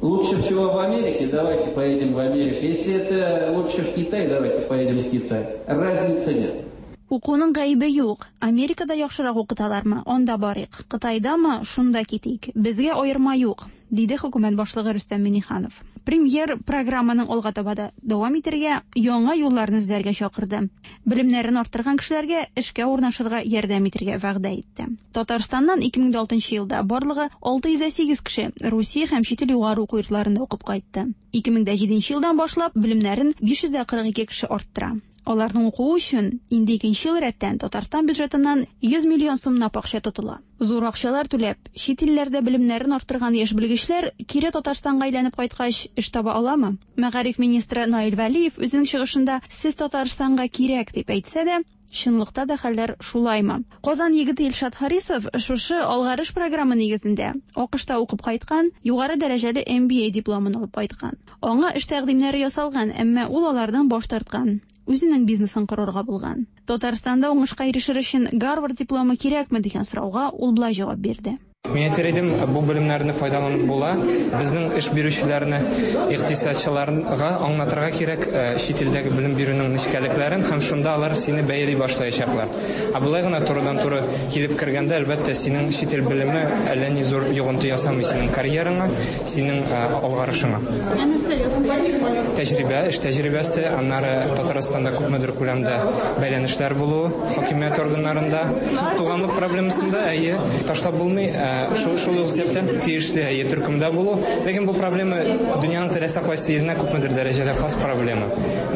лучше всего в Америке, давайте поедем в Америку. Если это лучше в Китай, давайте поедем в Китай. Разницы нет. Укуның гаебе юк. Америкада яхшырак укыталармы? Анда барыйк. Кытайдамы? Шунда китик. Безгә аерма юк, диде хөкүмәт башлыгы Рөстәм Миңнеханов. Премьер программаның алга таба да дәвам итәргә, яңа юлларны эзләргә чакырды. Белемнәрен арттырган кешеләргә эшкә урнашырга ярдәм итәргә вәгъдә итте. Татарстаннан ике мең алтынчы елда барлыгы алты йөз сигез кеше Русия һәм чит ил югары уку йортларында укып кайтты. Ике мең җиденче елдан башлап белемнәрен биш йөз кырык ике кеше арттыра. Аларның укуы өчен инде икенче ел рәттән Татарстан бюджетыннан йөз миллион сумлап акча тотыла. Зур акчалар түләп, чит илләрдә белемнәрен арттырган яшь белгечләр кире Татарстанга әйләнеп кайткач эш таба аламы? Мәгариф министры Наил Вәлиев үзенең чыгышында сез Татарстанга кирәк дип әйтсә дә, чынлыкта да хәлләр шулаймы? Казан егете Илшат Харисов шушы алгарыш программы нигезендә АКШта укып кайткан, югары дәрәҗәле эм би эй дипломын алып кайткан. Аңа эш тәкъдимнәре ясалган, әмма ул алардан баш тарткан. Үзенең бизнесын корырга булган. Татарстанда уңышка ирешер өчен Гарвард дипломы кирәкме дигән сорауга ул болай җавап бирде. Мин әйтер идем, бу белемнәрне файдаланып була. Безнең эш бирүчеләрне, икътисадчыларга аңлатырга кирәк, чит илдәге белем бирүнең нечкәлекләрен һәм шунда алар сине бәяли башлаячаклар. Ә болай гына турыдан-туры килеп кергәндә, әлбәттә, синең чит ил белеме әллә ни зур йогынты ясамый синең карьераңа, синең алгарышыңа. Тәҗрибә, эш тәҗрибәсе, аннары Татарстанда күпмедер күләмдә бәйләнешләр булуы хакимият органнарында, туганлык проблемасында, әйе, ташлап булмый. Шул, шул ук сәбәптән тиешле әйе төркемдә булу. Ләкин бу проблема дөньяның теләсә кайсы иленә күпмедер дәрәҗәдә хас проблема.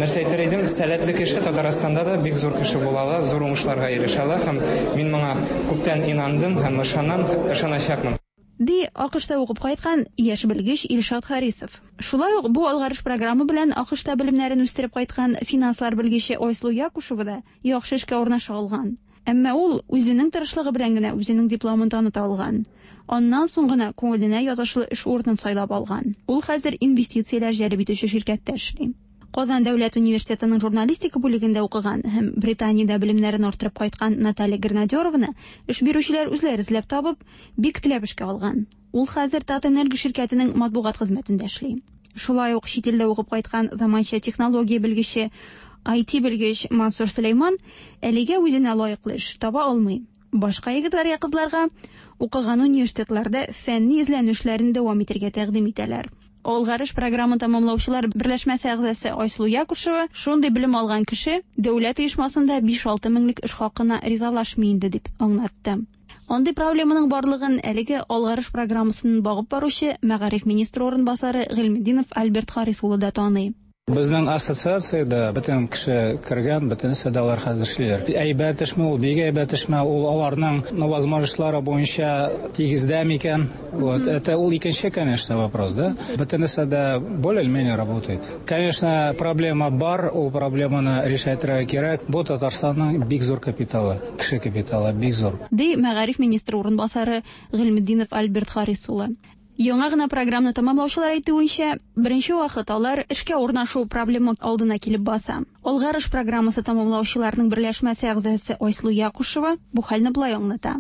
Нәрсә әйтер идем, сәләтле кеше Татарстанда да бик зур кеше була ала, зур уңышларга ирешә ала һәм мин моңа күптән инандым һәм ышанам, ышаначакмын. Ди АКШта укып кайткан яшь белгеч Илшат Харисов. Шулай ук бу алгарыш программы белән АКШта белемнәрен үстереп кайткан финанслар белгече Айсылу Якушева да яхшы эшкә урнаша алган. Әмма ул үзенең тырышлыгы белән генә үзенең дипломын таныта алган. Аннан соң гына күңеленә ятышлы эш урынын сайлап алган. Ул хәзер инвестицияләр җәлеп итүче ширкәттә эшли. Казан дәүләт университетының журналистика бүлегендә укыган һәм Британиядә белемнәрен арттырып кайткан Наталья Гренадерованы эш бирүчеләр үзләре эзләп табып, бик теләп эшкә алган. Ул хәзер Татэнерго ширкәтенең матбугат хезмәтендә эшли. Шулай ук чит илдә укып кайткан заманча технология белгече, ай ти белгеч Мансур Сөләйман әлегә үзенә лаеклы эш таба алмый. Башка егетләргә, кызларга укыган университетларда фәнни эзләнүшләрен дәвам итәргә тәкъдим итәләр. Алгарыш програмын тәмамлаучылар берләшмәсе әгъзасы Айсылу Якушева шундый белем алган кеше дәүләт оешмасында биш-алты меңлек эш хакына ризалашмый инде дип аңлатты. Андый проблеманың барлыгын әлеге алгарыш программасын багып баручы мәгариф министры урынбасары Гыйльметдинов Альберт Харис улы да таный. Безнең ассоциациядә бөтен кеше кергән, бөтенесе дә алар хәзер эшлиләр. Әйбәт эшме ул, бик әйбәт эшме ул, аларның возможностьлары буенча тигездә микән? Вот, это ул икенче, конечно, вопрос, да? Бөтенесе дә более или менее работает. Конечно, проблема бар, ул проблеманы решать кирәк. Бу Татарстанның бик зур капиталы, кеше капиталы бик зур. Ди мәгариф министры урынбасары Гыйльметдинов Альберт Харис улы. Яңа гына программаны тәмамлаучылар әйтүенчә, беренче вакыт алар эшкә урнашу проблема алдына килеп баса. Алгарыш программасы тәмамлаучыларның берләшмәсе әгъзасы Айсылу Якушева бу хәлне болай аңлата.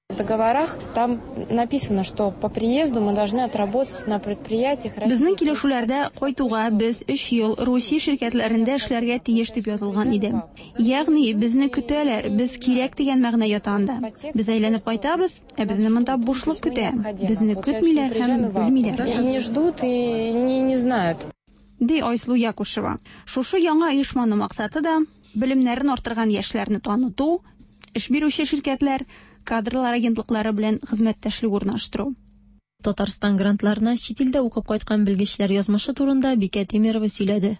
В договорах там написано, что по приезду мы должны отработать на предприятиях. Безнең килешүләрдә кайтуга без өч ел Русия ширкәтләрендә эшләргә тиеш дип язылган иде. Ягъни безне көтәләр, без кирәк дигән мәгънә ята анда. Без әйләнеп кайтабыз, ә безне монда бушлык көтә. Безне көтмиләр һәм белмиләр. И не ждут, и не, не знают. Ди Айсылу Якушева. Шушы яңа оешманың максаты да белемнәрен арттырган яшьләрне таныту, эш бирүче ширкәтләр, кадрлар агентлыклары белән хезмәттәшлек урнаштыру. Татарстан грантларына чит илдә укып кайткан белгечләр язмышы турында Бикә Тимирова сөйләде.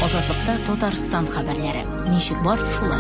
Азатлыкта Татарстан хәбәрләре. Ничек бар, шулай.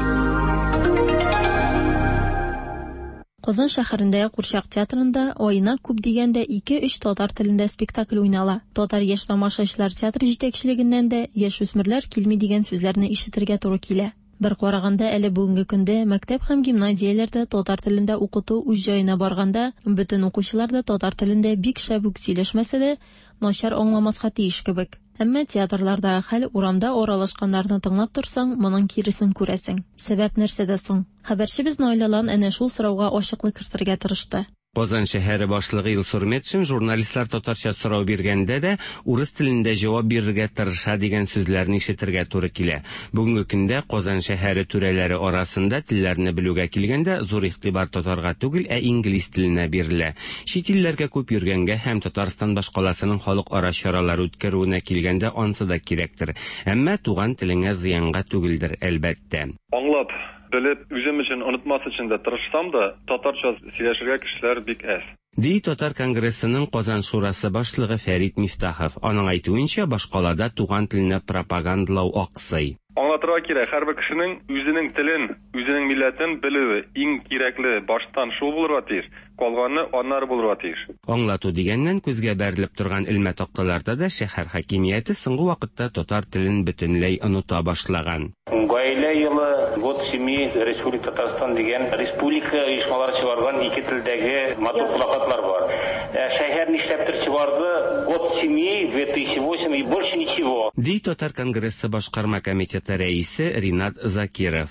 Казан шәһәрендә Курчак театрында аена күп дигәндә ике-өч татар телендә спектакль уйнала. Татар яшь тамашачылар театры җитәкчелегеннән дә яшүсмерләр килми дигән сүзләрне ишетергә туры килә. Бер караганда әле бүгенге көндә мәктәп һәм гимназияләрдә татар телендә укыту үз җаена барганда, бөтен укучылар да татар телендә бик шәп үк сөйләшмәсә дә, начар аңламаска тиеш кебек. Әмма театрлардагы хәл урамда аралашканнарны тыңлап торсаң, моның киресен күрәсең. Сәбәп нәрсәдә соң? Хәбәрчебез Наилә Лан әнә шул сорауга ачыклык кертергә тырышты. Казан шәһәре башлыгы Илсур Метшин журналистлар татарча сорау биргәндә дә урыс телендә җавап бирергә тырыша дигән сүзләрне ишетергә туры килә. Бүгенге көндә Казан шәһәре түрәләре арасында телләрне белүгә килгәндә зур игътибар татарга түгел, ә инглиз теленә бирелә. Чит илләргә күп йөргәнгә һәм Татарстан башкаласының халыкара чаралар үткәрүенә килгәндә ансы да кирәктер. Әмма туган телеңә зыянга түгелдер, әлбәттә. Аңлап, белеп, үзем өчен онытмас өчен дә тырышсам да, татарча сөйләшергә кешеләр бик әз. Ди Татар конгрессының Казан шурасы башлыгы Фәрит Мифтахов. Аның әйтүенчә, башкалада туган телене пропагандалау аксый. Аңлатырга кирәк, һәрбер кешенең үзенең телен, үзенең милләтен белүе иң кирәкле, баштан шул булырга тиеш, калганы аннары булырга тиеш. Аңлату дигәннән күзгә бәрелеп торган элмә такталарда да шәһәр хакимияте соңгы вакытта татар телен бөтенләй оныта башлаган. Гаилә елы, год семьи, Республика Татарстан дигән республика оешмалары чыгарган ике телдәге матур плакатлар бар. Шәһәр нишләптер чыгарды год семьи две тысячи восемь и больше ничего. Ди Татар конгрессы башкарма комитеты рәисе Ринат Закиров.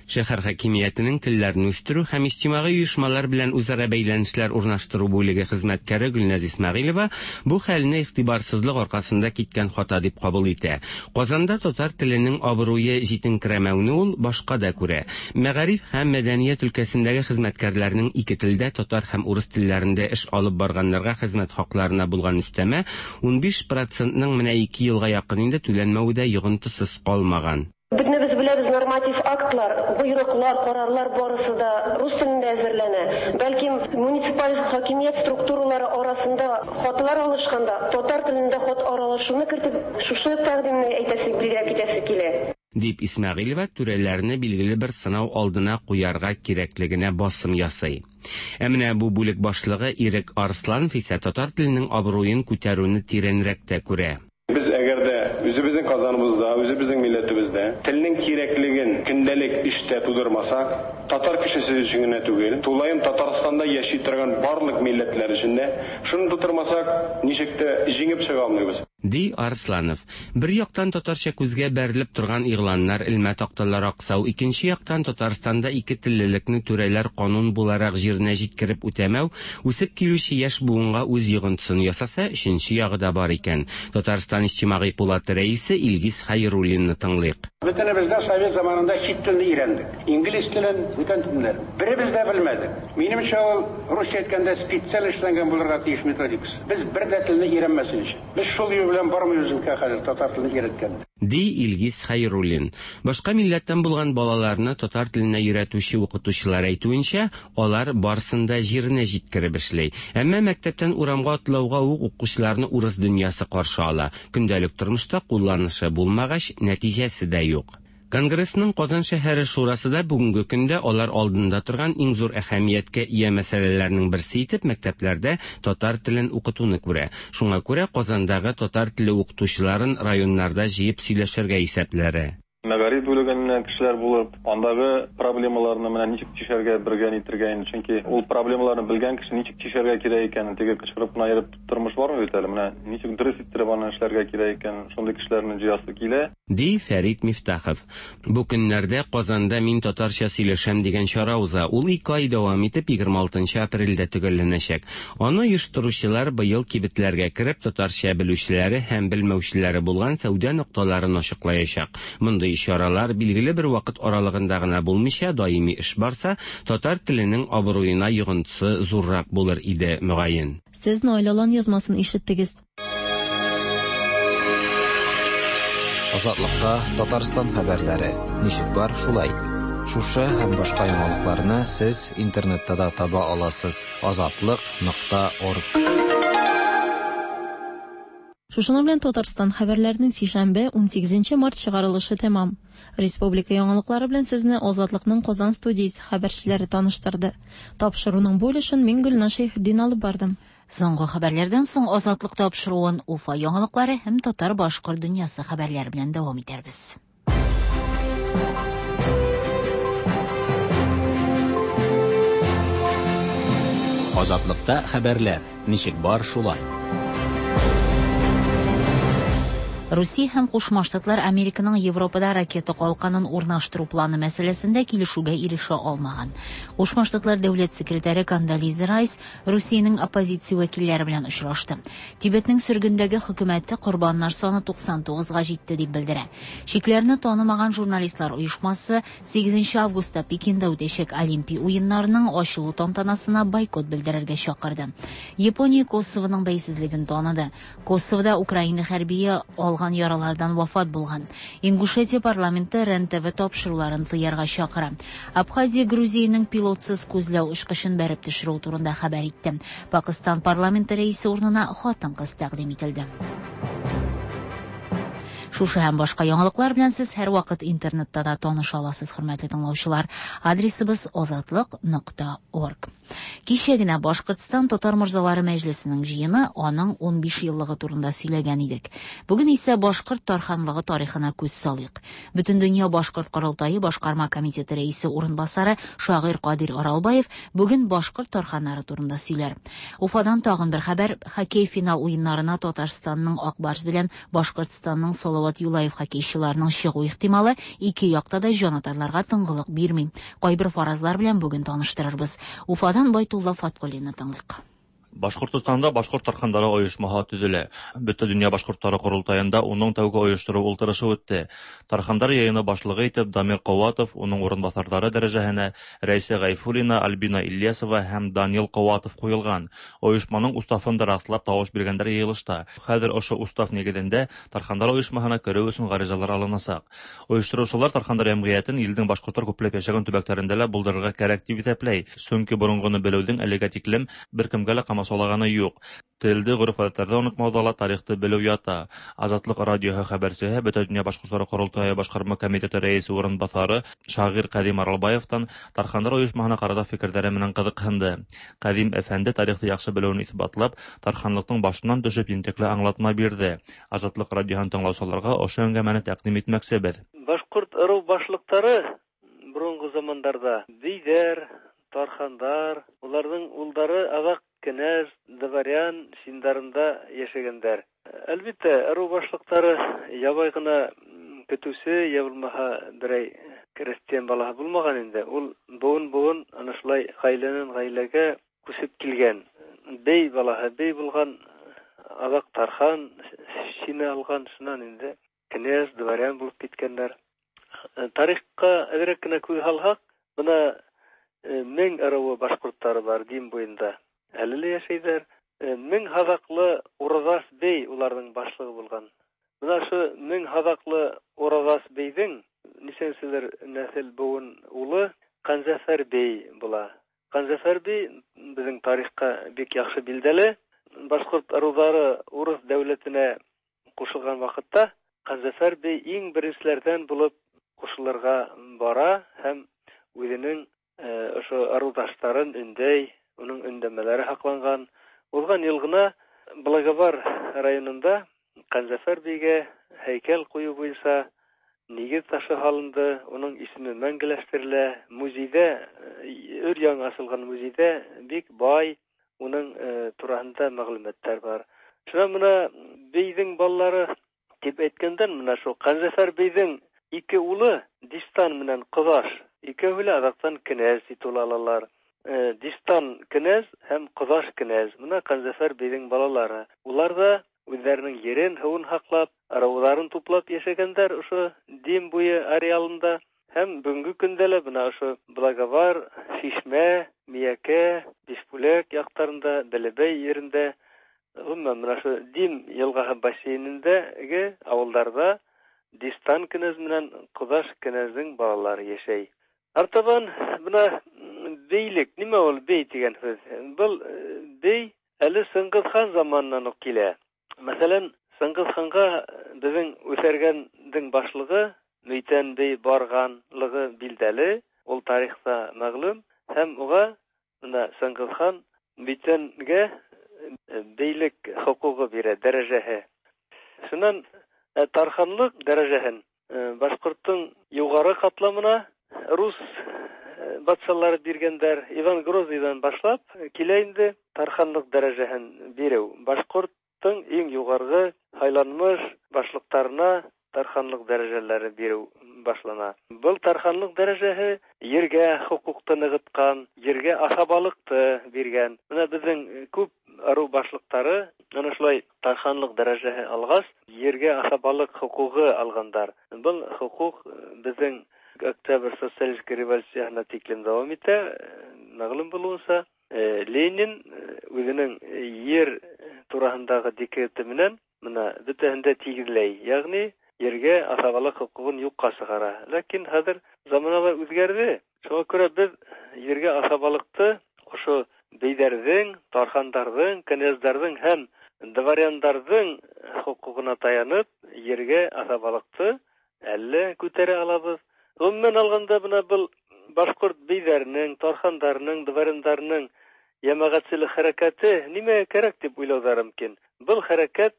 Шәһәр хакимиятенең телләрне үстерү һәм иҗтимагый оешмалар белән үзара бәйләнешләр урнаштыру бүлеге хезмәткәре Гөлназ Исмәгыйлева бу хәлне игътибарсызлык аркасында киткән хата дип кабул итә. Казанда татар теленең абруе җитенкерәмәүне ул башка да күрә. Мәгариф һәм мәдәният өлкәсендәге хезмәткәрләрнең ике телдә татар һәм урыс телләрендә эш алып барганнарга хезмәт хакларына булган өстәмә унбиш процентның менә ике елга якын инде түләнмәве дә йогынтысыз калмаган. Бөтенебез беләбез, норматив актлар, боерыклар, карарлар барысы да рус телендә әзерләнә. Бәлкем муниципаль хакимият структуралары арасында хатлар алышканда татар телендә хат аралашуны кертеп, шушы тәкъдимне әйтәсе, билгеләп китәсе килә. Дип Исмәгыйлева түрәләрне билгеле бер сынау алдына куярга кирәклегенә басым ясый. Ә менә бу бүлек башлыгы Ирек Арсланов исә татар теленең абруен күтәрүне тирәнрәк тә күрә. Без әгәр дә үзебезнең Казаныбызда, үзебезнең милләтебездә телнең кирәклеген көндәлек эштә тудырмасак, татар кешесе өчен генә түгел, тулаем Татарстанда яши торган барлык милләтләр өчен дә шуны тудырмасак, ничек тә җиңеп чыга алмыйбыз. Ди Арсланов. Бер яктан татарча күзгә бәрелеп торган игъланнар, элмә такталар аксау, икенче яктан Татарстанда ике теллелекне түрәләр канун буларак җиренә җиткереп үтәмәү, үсеп килүче яшь буынга үз йогынтысын ясаса, өченче ягы да бар икән. Татарстан иҗтимагый пулаты рәисе Илгиз Хәйруллинны тыңлыйк. Бөтенебез дә совет заманында чит телне өйрәндек. Инглиз телен, бүтән телләрен. Беребез дә белмәдек. Минемчә, ул русча әйткәндә специаль эшләнгән булырга тиеш методикасы. Без бер дә телне өйрәнмәсен өчен. Без шул юл белән бармыйбыз инде хәзер татар телен өйрәткәндә. Ди Илгиз Хәйруллин. Башка милләттән булган балаларны татар теленә өйрәтүче укытучылар әйтүенчә, алар барсын да җиренә җиткереп эшли. Әмма мәктәптән урамга атлауга ук укучыларны урыс дөньясы каршы ала. Көндәлек тормышта кулланышы булмагач, нәтиҗәсе дә юк. Конгрессның Казан шәһәре шурасы да бүгенге көндә алар алдында торган иң зур әһәмияткә ия мәсьәләләрнең берсе итеп мәктәпләрдә татар телен укытуны күрә. Шуңа күрә Казандагы татар теле укытучыларын районнарда җыеп сөйләшергә исәпләре. Мәгариф бүлегеннән кешеләр булып, андагы проблемаларны менә ничек чишәргә бергә нитергә инде. Чөнки ул проблемаларны белгән кеше ничек чишәргә кирәк икәнен, теге кычкырып кына йөреп тормыш бармы бит әле, менә ничек дөрес иттереп аны эшләргә кирәк икәнен, шундый кешеләрне җыясы килә. Ди Фәрит Мифтахов. Бу көннәрдә Казанда Мин татарча сөйләшәм дигән чара уза. Ул ике ай дәвам итеп егерме алтынчы апрельдә төгәлләнәчәк. Аны оештыручылар быел кибетләргә кереп татарча белүчеләре һәм белмәүчеләре булган сәүдә нокталарын ачыклаячак. Мондый чаралар билгеле бер вакыт аралыгында гына булмыйча даими эш барса, татар теленең абруена йогынтысы зуррак булыр иде, мөгаен. Сез Наил Алан язмасын ишеттегез. Азатлыкта Татарстан хәбәрләре ничек бар шулай. Шушы һәм башка яңалыкларны сез интернетта да таба аласыз. азатлык нокта орг. Шушының белән Татарстан хәбәрләренең сишәмбе унсигезенче март чыгарылышы тәмам. Республика яңалыклары белән сезне Азатлыкның Казан студиясе хәбәрчеләре таныштырды. Тапшыруның бу өлешен мин Гөлназ Шәйхетдин алып бардым. Соңгы хәбәрләрдән соң Азатлык тапшыруын Уфа яңалыклары һәм татар-башкорт дөньясы хәбәрләре белән дәвам итәрбез. Азатлыкта хәбәрләр ничек бар шулай. Русия һәм Кушма Штатлар Американың Европада ракета калканын урнаштыру планы мәсьәләсендә килешүгә ирешә алмаган. Кушма Штатлар дәүләт секретаре Кондолиза Райс Русиянең оппозиция вәкилләре белән очрашты. Тибетнең сөргендәге хөкүмәте корбаннар саны туксан тугызга җитте дип белдерә. Чикләрне танымаган журналистлар оешмасы сигезенче августта Пекинда үтәчәк Олимпия уеннарының ачылу тантанасына бойкот белдерергә чакырды. Япония Косовоның бәйсезлеген таныды. Косовода Украина хәрбие алган яралардан вафат булган. Ингушетия парламенты РЕН-ТВ тапшыруларын тыярга чакыра. Абхазия Грузиянең пилотсыз күзләү очкычын бәреп төшерү турында хәбәр итте. Пакистан парламенты рәисе урынына хатын-кыз тәкъдим ителде. Шушы һәм башка яңалыклар белән сез һәр вакыт интернетта да таныша аласыз, хөрмәтле тыңлаучылар. Адресыбыз азатлык нокта орг. Кичә генә Башкортстан Татар морзалары мәҗлесенең җыены аның унбиш еллыгы турында сөйләгән идек. Бүген исә Башкорт тарханлыгы тарихына күз салыйк. Бөтендөнья Башкорт корылтае башкарма комитеты рәисе урынбасары шагыйрь Кадир Аралбаев бүген башкорт тарханнары турында сөйләр. Уфадан тагын бер хәбәр: хоккей финал уеннарына Татарстанның Ак Барс белән Башкортстанның Салават Юлаев хоккейчыларының чыгу ихтималы ике якта да җанатарларга тынгылык бирми. Кайбер фаразлар белән бүген таныштырырбыз. Уфадан Байтулла Фаткуллинны тыңлыйк. Башкортостанда башкорт тархандары оешмаһы төзелә. Бөтә дөнья башкортлары корылтаенда уның тәүге оештыру ултырышы үтте. Тархандар йыйыны башлыгы итеп Дамир Ҡыуатов, уның урынбаҫарҙары дәрәжәһенә Рәйсә Ғәйфуллина, Альбина Ильясова һәм Данил Ҡыуатов ҡуйылған. Ойошманың уставын да раҫлап тауыш биргәндәр йыйылышта. Хәҙер ошо устав нигеҙендә Тархандар ойошмаһына кереү өсөн ғаризалар алынасаҡ. Ойоштороусылар Тархандар йәмғиәтен илдең башҡорттар күпләп йәшәгән төбәктәрендә лә булдырырға кәрәк тип иҫәпләй. Сөнки боронғоно белеүҙең әлегә тиклем бер кемгә лә ҡамасаулаганы юҡ. Телде, ғөрөф-ғәҙәттәрҙе онотмауҙа ла тарихты белеү ята. Азатлыҡ радиоһы хәбәрсеһе Бөтә донъя башҡорттары ҡоролтайы башҡарма комитеты рәйесе урынбаҫары шағир Ҡәҙим Аралбаевтан Тархандар ойошмаһына ҡарата фекерҙәре менән ҡыҙыҡһынды. Ҡәҙим әфәнде тарихты яҡшы белеүен иҫбатлап, тарханлыҡтың башынан төшөп ентекле аңлатма бирҙе. Азатлыҡ радиоһын тыңлаусыларға ошо әңгәмәне тәҡдим итмәксебеҙ. Башҡорт ырыу башлыҡтары боронғо замандарҙа бейҙәр, тархандар, уларҙың улдары аҙаҡ кенәз, дворян синдарында йәшәгәндәр. Әлбиттә, ырыу башлыҡтары ябай ғына көтөүсе, йә булмаһа берәй крестьян балаһы булмаған инде. Ул быуын-быуын ана шулай ғаиләнән ғаиләгә күсеп килгән. Бей балаһы бей булған, аҙаҡ тархан сине алған, шунан инде кенәз, дворян булып киткәндәр. Тарихҡа әҙерәк кенә күҙ һалһаҡ, бына мең ырыуы башҡорттары бар Дим буйында. Әле лә йәшәйҙәр. Мең һаҙаҡлы Ураҙас бей уларҙың башлығы булған. Бына ошо мең һаҙаҡлы Ураҙас бейҙең нисәнселер нәҫел быуын улы Ҡанзәфәр бей була. Ҡанзәфәр бей беҙҙең тарихҡа бик яҡшы билдәле. Башҡорт ырыуҙары урыҫ дәүләтенә ҡушылған ваҡытта Ҡанзәфәр бей иң беренселәрҙән булып ҡушылырға бара һәм үҙенең ошо ырыуҙаштарын өндәй, уның өндәмәләре һаҡланған. Уҙған йыл ғына Благовар районында Ҡанзәфәр бейгә һәйкәл ҡуйыу буйынса нигеҙ ташы һалынды, уның исеме мәңгеләштерелә. Музейҙә, өр-яңы асылған музейҙә бик бай уның тураһында мәғлүмәттәр бар. Шунан бына бейҙең балалары тип әйткәндән, бына шул Ҡанзәфәр бейҙең ике улы Дистан менән Ҡоҙаш, икәүһе лә аҙаҡтан кенәз титулы алалар. Дистан кенәз һәм Ҡоҙаш кенәз, бына Ҡанзәфәр бейҙең балалары. Улар ҙа үҙҙәренең ерен, һыуын һаҡлап, ырыуҙарын туплап йәшәгәндәр ошо Дим буйы ареалында. Һәм бөгөнгө көндә лә бына ошо Благовар, Шишмә, Миәкә, Бишбүләк яҡтарында, Бәләбәй ерендә, ғөмүмән бына ошо Дим йылғаһы бассейнендәге ауылдарҙа Дистан кенәз менән Ҡоҙаш кенәздең балалары йәшәй. Артабан бына бейлек, нимә ул бей тигән һүҙ? Был бей әле Сыңғыҙ хан заманынан уҡ килә. Мәҫәлән, Сыңғыҙ ханға беҙҙең Үҫәргәндең башлығы Мөйтән бей барғанлығы билдәле, ул тарихта мәғлүм, һәм уға бына Сыңғыҙ хан Мөйтәнгә бейлек хоҡуғы бирә, дәрәжәһе. Шунан тарханлыҡ дәрәжәһен башҡорттоң юғары ҡатламына рус батшалары биргәндәр. Иван Грозныйҙан башлап килә инде тарханлыҡ дәрәжәһен биреү. Башҡорт иң юғарғы һайланмыш башлыҡтарына тарханлыҡ дәрәжәләре биреү башлана. Был тарханлыҡ дәрәжәһе ергә хоҡуҡты нығытҡан, ергә аҫабалыҡты биргән. Бына беҙҙең күп ырыу башлыҡтары ана шулай тарханлыҡ дәрәжәһе алғас, ергә аҫабалыҡ хоҡуғы алғандар. Был хоҡуҡ беҙҙең Октябрь социалистик революцияһына тиклем дауам итә. Мәғлүм булыуынса, Ленин үҙенең ер тураһындағы декреты менән бына бөтәһен дә тигеҙләй, йәғни ергә аҫабалыҡ хоҡуғын юҡҡа сығара. Ләкин хәҙер заманалар үҙгәрҙе. Шуға күрә беҙ ергә аҫабалыҡты ошо бейҙәрҙең, тархандарҙың, кенәздәрҙең һәм дворяндарҙың хоҡуғына таянып ергә аҫабалыҡты әллә күтәрә алабыҙ. Ғөмүмән алғанда, бына был башҡорт бейҙәренең, тархандарының, дворяндарының йәмәғәтселек хәрәкәте нимәгә кәрәк тип уйлауҙары мөмкин. Был хәрәкәт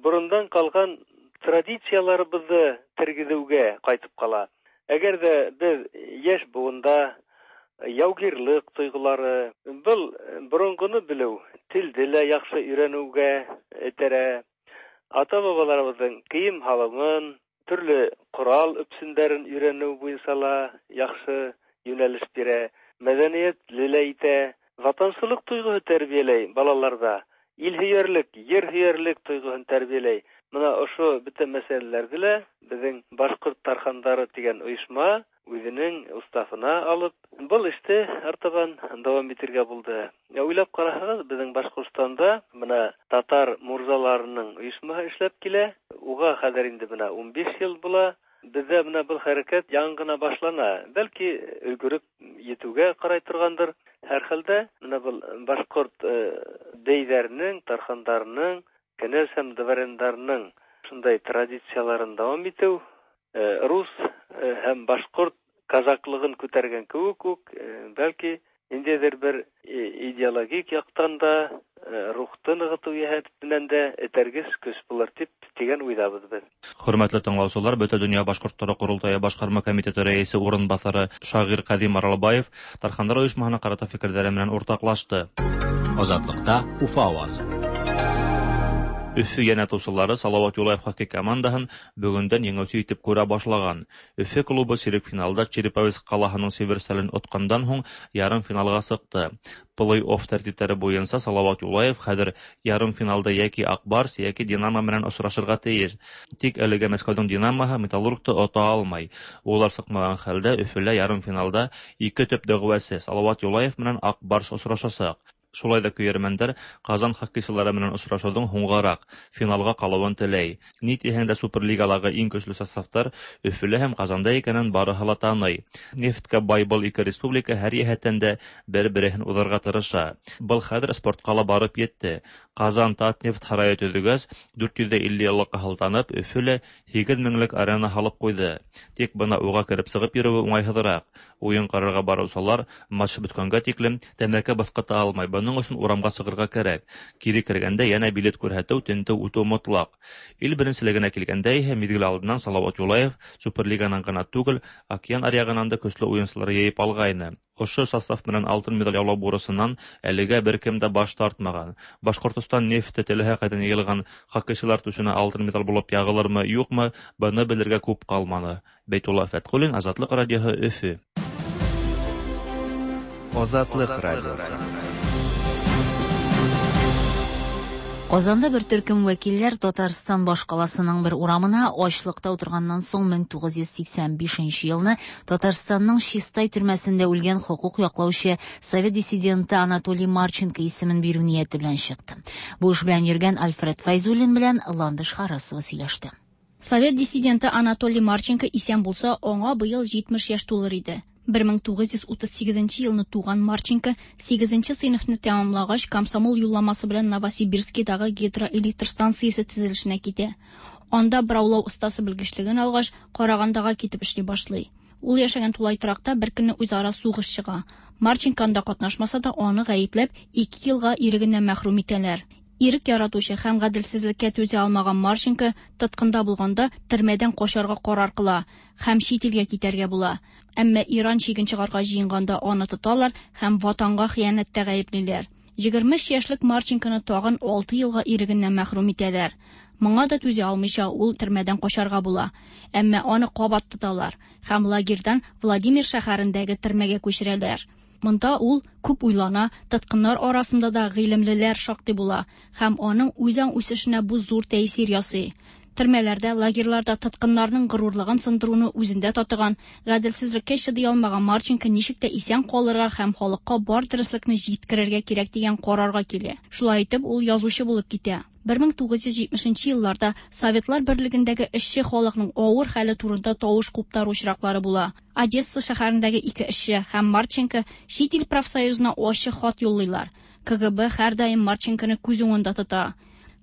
борондан ҡалған традицияларыбыҙҙы тергеҙеүгә ҡайтып ҡала. Әгәр ҙә беҙ йәш быуында яугирлыҡ тойғолары, был боронғоно белеү, телде лә яҡшы өйрәнеүгә этәрә, ата-бабаларыбыҙҙың кейем һалымын, төрлө ҡорал өпсөндәрен өйрәнеү буйынса ла яҡшы йүнәлеш бирә, мәҙәниәтле лә итә, ватансылыҡ тойғоһо тәрбиәләй балаларҙа, ил һөйәрлек, ер һөйәрлек тойғоһон тәрбиәләй. Бына ошо бөтә мәсьәләләрҙе лә беҙҙең Башҡорт тархандары тигән ойошма үҙенең уставына алып, был эште артабан дауам итергә булды. Уйлап ҡараһағыҙ, беҙҙең Башҡортостанда бына татар мурзаларының ойошмаһы эшләп килә. Уға хәҙер инде бына ун биш йыл була. Беҙҙә бына был хәрәкәт яңы ғына башлана. Бәлки өлгөрөп етеүгә ҡарай торғандыр. Һәр хәлдә бына был башҡорт бейҙәренең, тархандарының, кенәз һәм дворяндарының шундай традицияларын дауам итеү, рус һәм башҡорт казаклығын күтәргән кеүек үк, бәлки ниндәйҙер бер идеологик яҡтан да, рухты нығытыу йәһәтенән дә этәргес көс булыр тип тигән уйҙабыҙ беҙ. Хөрмәтле тыңлаусылар, Бөтә донъя башҡорттары ҡоролтайы башҡарма комитеты рәйесе урынбаҫары шағир Ҡәҙим Аралбаев Тархандар ойошмаһына ҡарата фекерҙәре менән уртаҡлашты. Азатлыҡта Уфа ауазы. Өфө йәнәтыусылары Салауат Юлаев хоккей командаһын бөгөндән еңеүсе итеп күрә башлаған. Өфө клубы сирек финалда Череповец ҡалаһының Северстален отҡандан һуң ярым финалға сыҡты. Плей-офф тәртиптәре буйынса Салауат Юлаев хәҙер ярым финалда йәки Аҡбарс, йәки Динамо менән осрашырға тейеш. Тик әлегә Мәскәүҙең Динамоһы Металлургты ота алмай. Улар сыҡмаған хәлдә Өфөлә ярым финалда ике төп дәғүәсе Салауат Юлаев менән Аҡбарс осрашасаҡ. Шулай ҙа көйәрмәндәр Ҡазан хоккейсылары менән осрашыуҙың һуңғараҡ финалға ҡалыуын теләй. Ни тиһәң дә Суперлигалағы иң көслө составтар Өфөлә һәм Ҡазанда икәнен барыһы ла таный. Нефткә бай был ике республика һәр йәһәттән дә бер-береһен уҙырға тырыша. Был хәҙер спортҡа ла барып етте. Ҡазан Татнефть һарайы төҙөгәс, дүрт йөҙ илле йыллыҡҡа һылтанып, Өфөлә һигеҙ меңлек арена һалып ҡуйҙы. Тик бына уға кереп сығып йөрөүе уңайһыҙыраҡ. Уен карарга баручылар матч беткәнгә тиклем тәмәке баҫҡыта алмай. Бының өсөн урамға сығырға кәрәк. Кире кергәндә йәнә билет күрһәтеү, тентеү үтеү мотлаҡ. Ил беренселегенә килгәндә иһә миҙгел алдынан Салауат Юлаев Суперлиганан ғына түгел, океан аръяғынан да көслө уйынсылар йыйып алғайны. Ошо состав менән алтын медаль яулау бурысынан әлегә бер кем дә баш тартмаған. Башҡортостан нефте теләһә ҡайҙан йыйылған хоккейсылар түшенә алтын медаль булып яғылырмы, юҡмы, быны белергә күп ҡалманы. Бәйтулла Фәтҡуллин, Азатлыҡ радиоһы, Өфө. Азатлыҡ радиоһы. Казанда бер төркем вәкилләр Татарстан башкаласының бер урамына ачлыкта утырганнан соң мең тугыз йөз сиксән бишенче елны Татарстанның Чистай төрмәсендә үлгән хокук яклаучы совет диссиденты Анатолий Марченко исемен бирү нияте белән чыкты. Бу эш белән йөргән Альфред Файзуллин белән Ландыш Харасова сөйләште. Совет диссиденты Анатолий Марченко исән булса, аңа быел җитмеш яшь тулыр иде. бер мең тугыз йөз утыз сигезенче елны туган Марченко сигезенче сыйныфны тәмамлагач комсомол юлламасы белән Новосибирскидагы гидроэлектр станциясе төзелешенә китә. Анда бораулау остасы белгечлеген алгач, Карагандага китеп эшли башлый. Ул яшәгән тулай торакта бер көнне үзара сугыш чыга. Марченко анда катнашмаса да, аны гаепләп ике елга ирегеннән мәхрүм итәләр. Ирек яратучы һәм гаделсезлеккә түзә алмаган Марченко тоткында булганда төрмәдән качарга карар кыла һәм чит илгә китәргә була. Әмма Иран чиген чыгарга җыенганда аны тоталар һәм ватанга хыянәттә гаеплиләр. Егерме өч яшьлек Марченконы тагын алты елга ирегеннән мәхрүм итәләр. Моңа да түзә алмыйча ул төрмәдән качарга була. Әмма аны кабат тоталар һәм лагерьдан Владимир шәһәрендәге төрмәгә күчерәләр. Монда ул күп уйлана, тоткыннар арасында да гыйлемлеләр шактый була һәм аның үзаң үсешенә бу зур тәэсир ясый. Төрмәләрдә, лагерьларда тоткыннарның горурлыгын сындыруны үзендә татыган, гаделсезлеккә чыдый алмаган Марченко ничек тә исән калырга һәм халыкка бар дөреслекне җиткерергә кирәк дигән карарга килә. Шулай итеп, ул язучы булып китә. бер мең тугыз йөз җитмешенче елларда Советлар Берлегендәге эшче халыкның авыр хәле турында тавыш куптару очраклары була. Одесса шәһәрендәге ике эшче һәм Марченко чит ил профсоюзына ачык хат юллыйлар. К Г Б һәрдаим Марченконы күз уңында тота.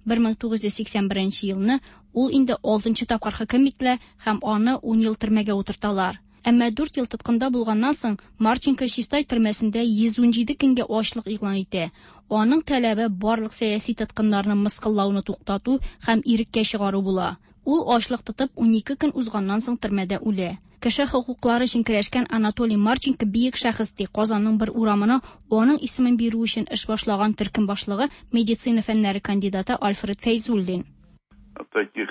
бер мең тугыз йөз сиксән беренче елны ул инде алтынчы тапкыр хөкем ителә һәм аны ун ел төрмәгә утырталар. Әмма дүрт ел тоткында булганнан соң Марченко Чистай төрмәсендә йөз унҗиде көнгә ачлык игълан итә. Аның таләбе барлык сәяси тоткыннарны мыскыллауны туктату һәм иреккә чыгару була. Ул ачлык тотып унике көн узганнан соң төрмәдә үлә. Кеше хокуклары өчен көрәшкән Анатолий Марченко бөек шәхес ди. Казанның бер урамына аның исемен бирү өчен эш башлаган төркем башлыгы медицина фәннәре кандидаты Альфред Фәйзуллин. Таких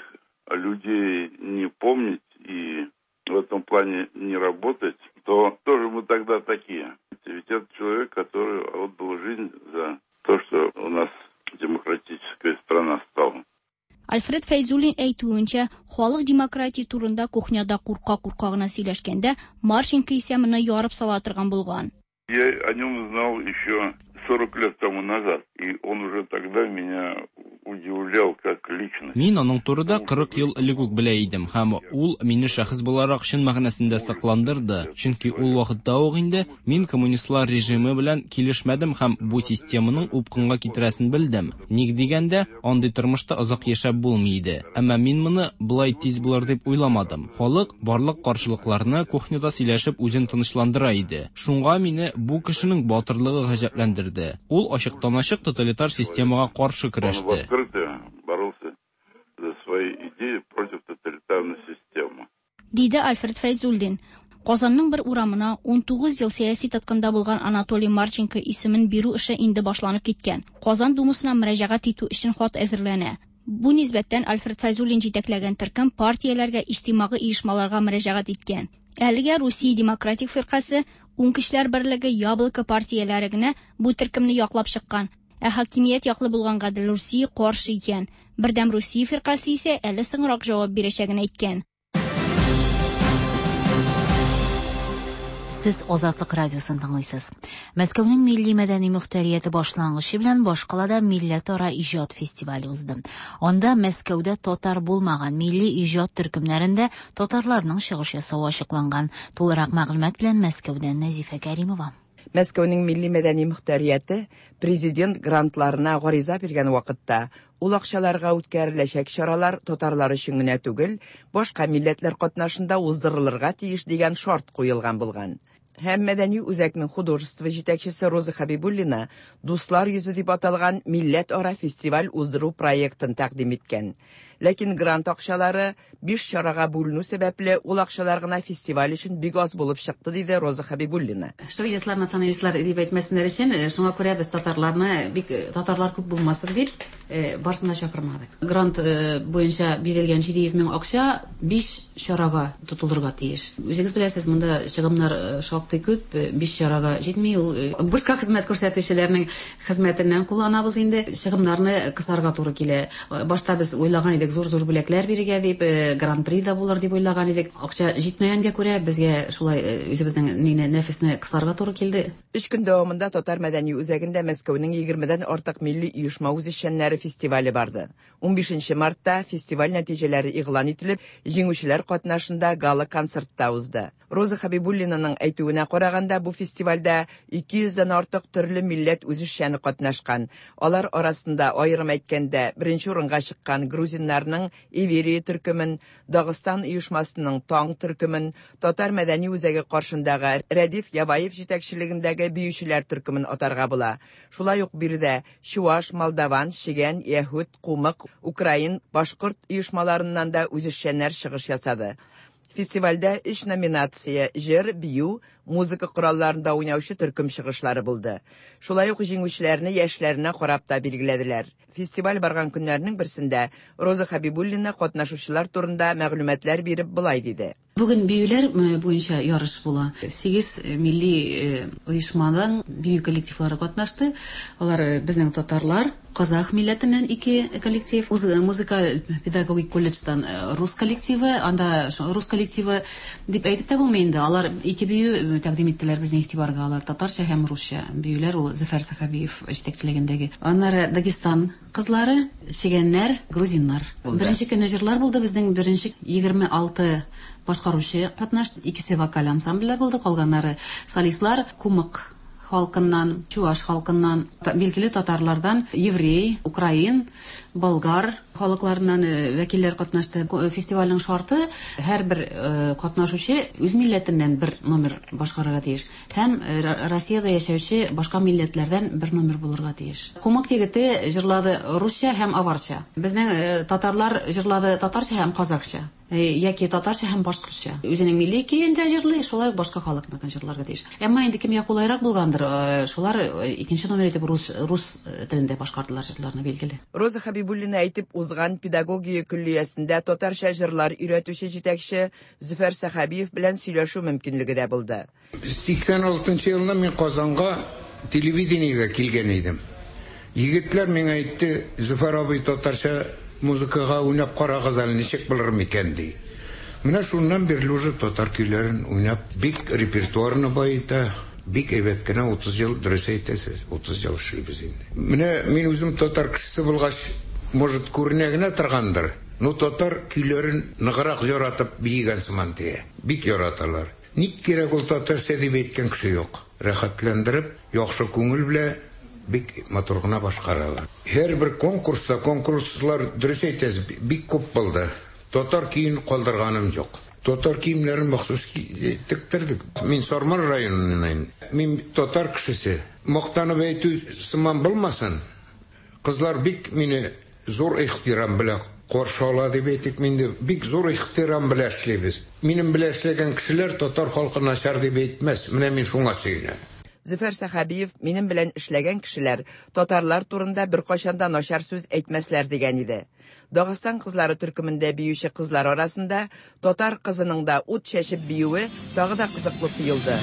людей не помнить и в этом плане не работать, то тоже мы тогда такие. Ведь это человек, который отдал жизнь за то, что у нас демократическая страна стала. Альфред Фәйзуллин әйтүенчә, халык демократия турында кухняда курка-курка гына сөйләшкәндә, Марченко исә моны ярып сала торган булган. Я о нем знал еще сорок лет тому назад, и он уже тогда меня удивлял как личность. Мин аның турында кырык ел элек үк белә идем, һәм ул мине шәхес буларак чын мәгънәсендә сакландырды, чөнки ул вакытта ук инде мин коммунистлар режимы белән килешмәдем һәм бу системаның упкынга китерәсен белдем. Ник дигәндә, андый тормышта озак яшәп булмый иде. Әмма мин моны болай тиз булыр дип уйламадым. Халык барлык каршылыкларны кухняда сөйләшеп үзен тынычландыра иде. Шуңа мине бу кешенең батырлыгы гаҗәпләндерде. Ул ачыктан-ачык тоталитар системага каршы көрәште. Боролся за свои идеи против тоталитарной системы. Диде Альфред Фәйзуллин. Казанның бер урамына ун тугыз ел сәяси тоткында булган Анатолий Марченко исемен бирү эше инде башланып киткән. Казан Думасына мөрәҗәгать итү өчен хат әзерләнә. Бу нисбәттән Альфред Фәйзуллин җитәкләгән төркем партияләргә, иҗтимагый оешмаларга мөрәҗәгать иткән. Әлегә Русия Демократик фиркасе, Уң көчләр берлеге, Яблоко партияләре генә бу төркемне яклап чыккан. Ә хакимият яклы булган Гадел Русия каршы икән. Бердәм Русия фиркасе исә әле соңрак җавап бирәчәген әйткән. Сез Азатлык радиосын тыңлыйсыз. Мәскәүнең милли мәдәни мөхтәрияте башлангычы белән башкалада милләтара иҗат фестивале узды. Анда Мәскәүдә татар булмаган милли иҗат төркемнәрендә татарларның чыгыш ясавы ачыкланган. Тулырак мәгълүмат белән Мәскәүдән Нәзифә Кәримова. Мәскәүнең милли мәдәни мөхтәрияте президент грантларына гариза биргән вакытта ул акчаларга үткәреләчәк чаралар татарлар өчен генә түгел, башка милләтләр катнашында уздырылырга тиеш дигән шарт куелган булган. Һәм мәдәни үзәкнең художество җитәкчесе Роза Хабибуллина «Дуслар йөзе» дип аталган милләтара фестиваль уздыру проектын тәкъдим иткән. Ләкин грант акчалары биш чарага бүленү сәбәпле, ул акчалар гына фестиваль өчен бик аз булып чыкты, диде Роза Хабибуллина. Шовинистлар, националистлар дип әйтмәсеннәр өчен, шуңа күрә без татарларны бик татарлар күп булмасын дип барысын да чакырмадык. Грант буенча бирелгән җиде йөз мең акча биш чарага тотылырга тиеш. Үзегез беләсез, монда чыгымнар шактый күп, биш чарага җитми. Ул бушка хезмәт күрсәтүчеләрнең хезмәтеннән кулланабыз инде. Чыгымнарны кысарга туры килә. Башта без уйлаган идек, зур-зур бүләкләр бирергә дип, гран-при да булыр дип уйлаган идек. Акча җитмәгәнгә күрә безгә шулай үзебезнең нине нәфесне кысарга туры килде. Өч көн дәвамында Татар мәдәни үзәгендә Мәскәүнең егермедән артык милли оешма үзешчәннәре фестивале барды. Унбишенче мартта фестиваль нәтиҗәләре игълан ителеп, җиңүчеләр катнашында гала-концертта узды. Роза Хабибуллинаның әйтүенә караганда, бу фестивальдә ике йөздән артык төрле милләт үзешчәне катнашкан. Алар арасында аерым әйткәндә беренче урынга чыккан грузиннарның Иверия төркемен, Дагыстан оешмасының Таң төркемен, Татар мәдәни үзәге каршындагы Рәдиф Яваев җитәкчелегендәге биючеләр төркемен атарга була. Шулай ук биредә чуаш, молдаван, чегән, яһүд, кумык, украин, башкорт оешмаларыннан да үзешчәннәр чыгыш ясады. Фестивальдә өч номинация җыр, бию, музыка коралларында уйнаучы төркем чыгышлары булды. Шулай ук җиңүчеләрне яшьләренә карап та билгеләделәр. Фестиваль барган көннәрнең берсендә Роза Хабибуллина катнашучылар турында мәгълүматлар биреп болай диде. Бүген биюләр буенча ярыш була. Сигез милли оешмадан бию коллективлары катнашты. Алар безнең татарлар, казах милләтеннән ике коллектив, музыка педагогик колледждан рус коллективы, анда рус коллективы дип әйтеп тә булмый инде. Алар ике бию тәкъдим иттеләр безнең игътибарга. Алар татарча һәм русча биюләр, ул Зөфәр Сәхәбиев җитәкчелегендәге. Аннары Дагестан кызлары, чегәннәр, грузиннар. Беренче көнне җырлар булды, безнең беренче егерме алты башкаручы катнашты. Икесе вокаль ансамбльләр булды, калганнары солистлар, кумык халкыннан, чуаш халкыннан, билгеле татарлардан, еврей, украин, болгар халыкларыннан вәкилләр катнашты. Фестивальнең шарты: һәрбер катнашучы үз милләтеннән бер номер башкарырга тиеш һәм Россиядә яшәүче башка милләтләрдән бер номер булырга тиеш. Кумык егете җырлады русча һәм аварча. Безнең татарлар җырлады татарча һәм казакча, яки татарча һәм башкортча. Үзенең милли көен дә җырлый, шулай ук башка халыкныкын җырларга тиеш. Әмма инде кемгә кулайрак булгандыр, шулар икенче номер итеп рус рус телендә башкардылар җырларны, билгеле. Роза Хабибуллина әйтеп узган педагогия көллиясендә татарча җырлар өйрәтүче җитәкче Зөфәр Сәхәбиев белән сөйләшү мөмкинлеге дә булды. сиксән алтынчы елны мин Казанга телевидениегә килгән идем. Егетләр миңа әйтте: "Зөфәр абый, татарча музыкага уйнап карагыз әле, ничек булыр микән?" ди. Менә шуннан бирле уже татар көйләрен уйнап, бик репертуарны баета, бик әйбәт кенә утыз ел, дөрес әйтәсез, утыз ел эшлибез инде. Менә мин үзем татар кешесе булгач, может, күренә генә торгандыр, но татар көйләрен ныграк яратып биегән сыман тия. Бик яраталар. Ник кирәк ул татарча дип әйткән кеше юк. Рәхәтләндереп, яхшы күңел белән бик матур гына башкаралар. Һәрбер конкурста, конкурслар, дөрес әйтәсез, бик күп булды. Татар киен калдырганым юк. Татар киемнәрен махсус тектердек. Мин Сарман районыннан. Мин татар кешесе. Мактанып әйтү сыман булмасын. Кызлар бик мине зур ихтирам белән каршы ала дип әйтик, мин дә бик зур ихтирам белән эшлибез. Минем белән эшләгән кешеләр татар халкы начар дип әйтмәс. Менә мин шуңа сөенәм. Зөфәр Сәхәбиев минем белән эшләгән кешеләр татарлар турында беркайчан да начар сүз әйтмәсләр дигән иде. Дагыстан кызлары төркемендә биюче кызлар арасында татар кызының да ут чәчеп биюе тагы да кызыклы тоелды.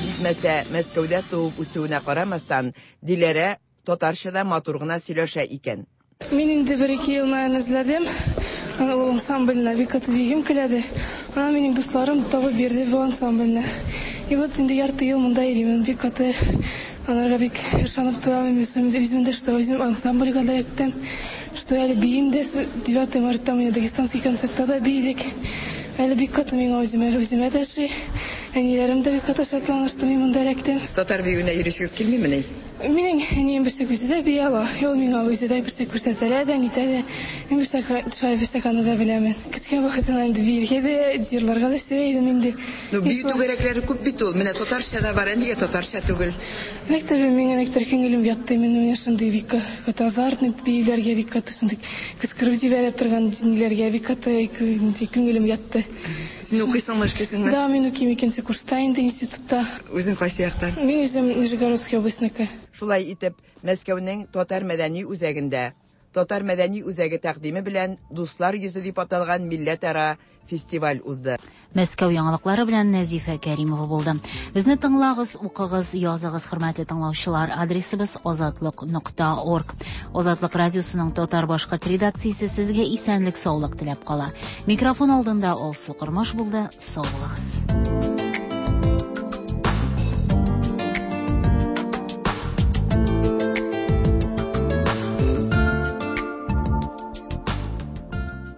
Җитмәсә, Мәскәүдә туып үсүенә карамастан, Диләрә татарча да матур гына сөйләшә икән. Мин инде бер ике ел наен эзләдем. Ул ансамбльне бик каты бигем киләде. Ана минем дусларым табып бирде бу ансамбльне. И вот инде ярты ел монда йөрим. Бик каты аларга бик ышанып торам. Үзем дә, что үзем ансамбльгә да эләктем. Что әле биим дә, девятое мартта менә дагестанский концертта да биедек. Әле бик каты миңа үземә, үземә дә ши. Әниләрем дә бик каты шатлана, что мин монда эләктем. Татар биюенә йөришегез килмимени? Минем әнием берсә үзе дә бии ала. Ул миңа үзе дә берсә күрсәтә дә, нитә дә. Мин берсә шулай берсә аны да беләмен. Кечкенә вакытымнан инде биергә дә, җырларга да сөя идем инде. Ну, бию түгәрәкләре күп бит ул. Менә татарча да бар, ә нигә татарча түгел? Мәктәбе миңа никтер күңелем ятты. Мин менә шундый бик каты азартный биюләргә бик каты шундый кычкырып җибәрә торган ниләргә бик каты күңелем ятты. Син укыйсыңмы, эшлисеңме? Да, мин укыйм икенче курста инде институтта. Үзең кайсы яктан? Мин үзем Нижегородский областьныкы. Шулай итеп, Мәскәүнең Татар мәдәни үзәгендә Татар мәдәни үзәге тәкъдиме белән Дуслар йөзе дип аталган милләтара фестиваль узды. Мәскәү яңалыклары белән Нәзифә Кәримова булды. Безне тыңлагыз, укыгыз, языгыз, хөрмәтле тыңлаучылар. Адресыбыз азатлык нокта орг. Азатлык радиосының татар башкорт редакциясе сезгә исәнлек, саулык теләп кала. Микрофон алдында Алсу Кормаш булды. Сау булыгыз.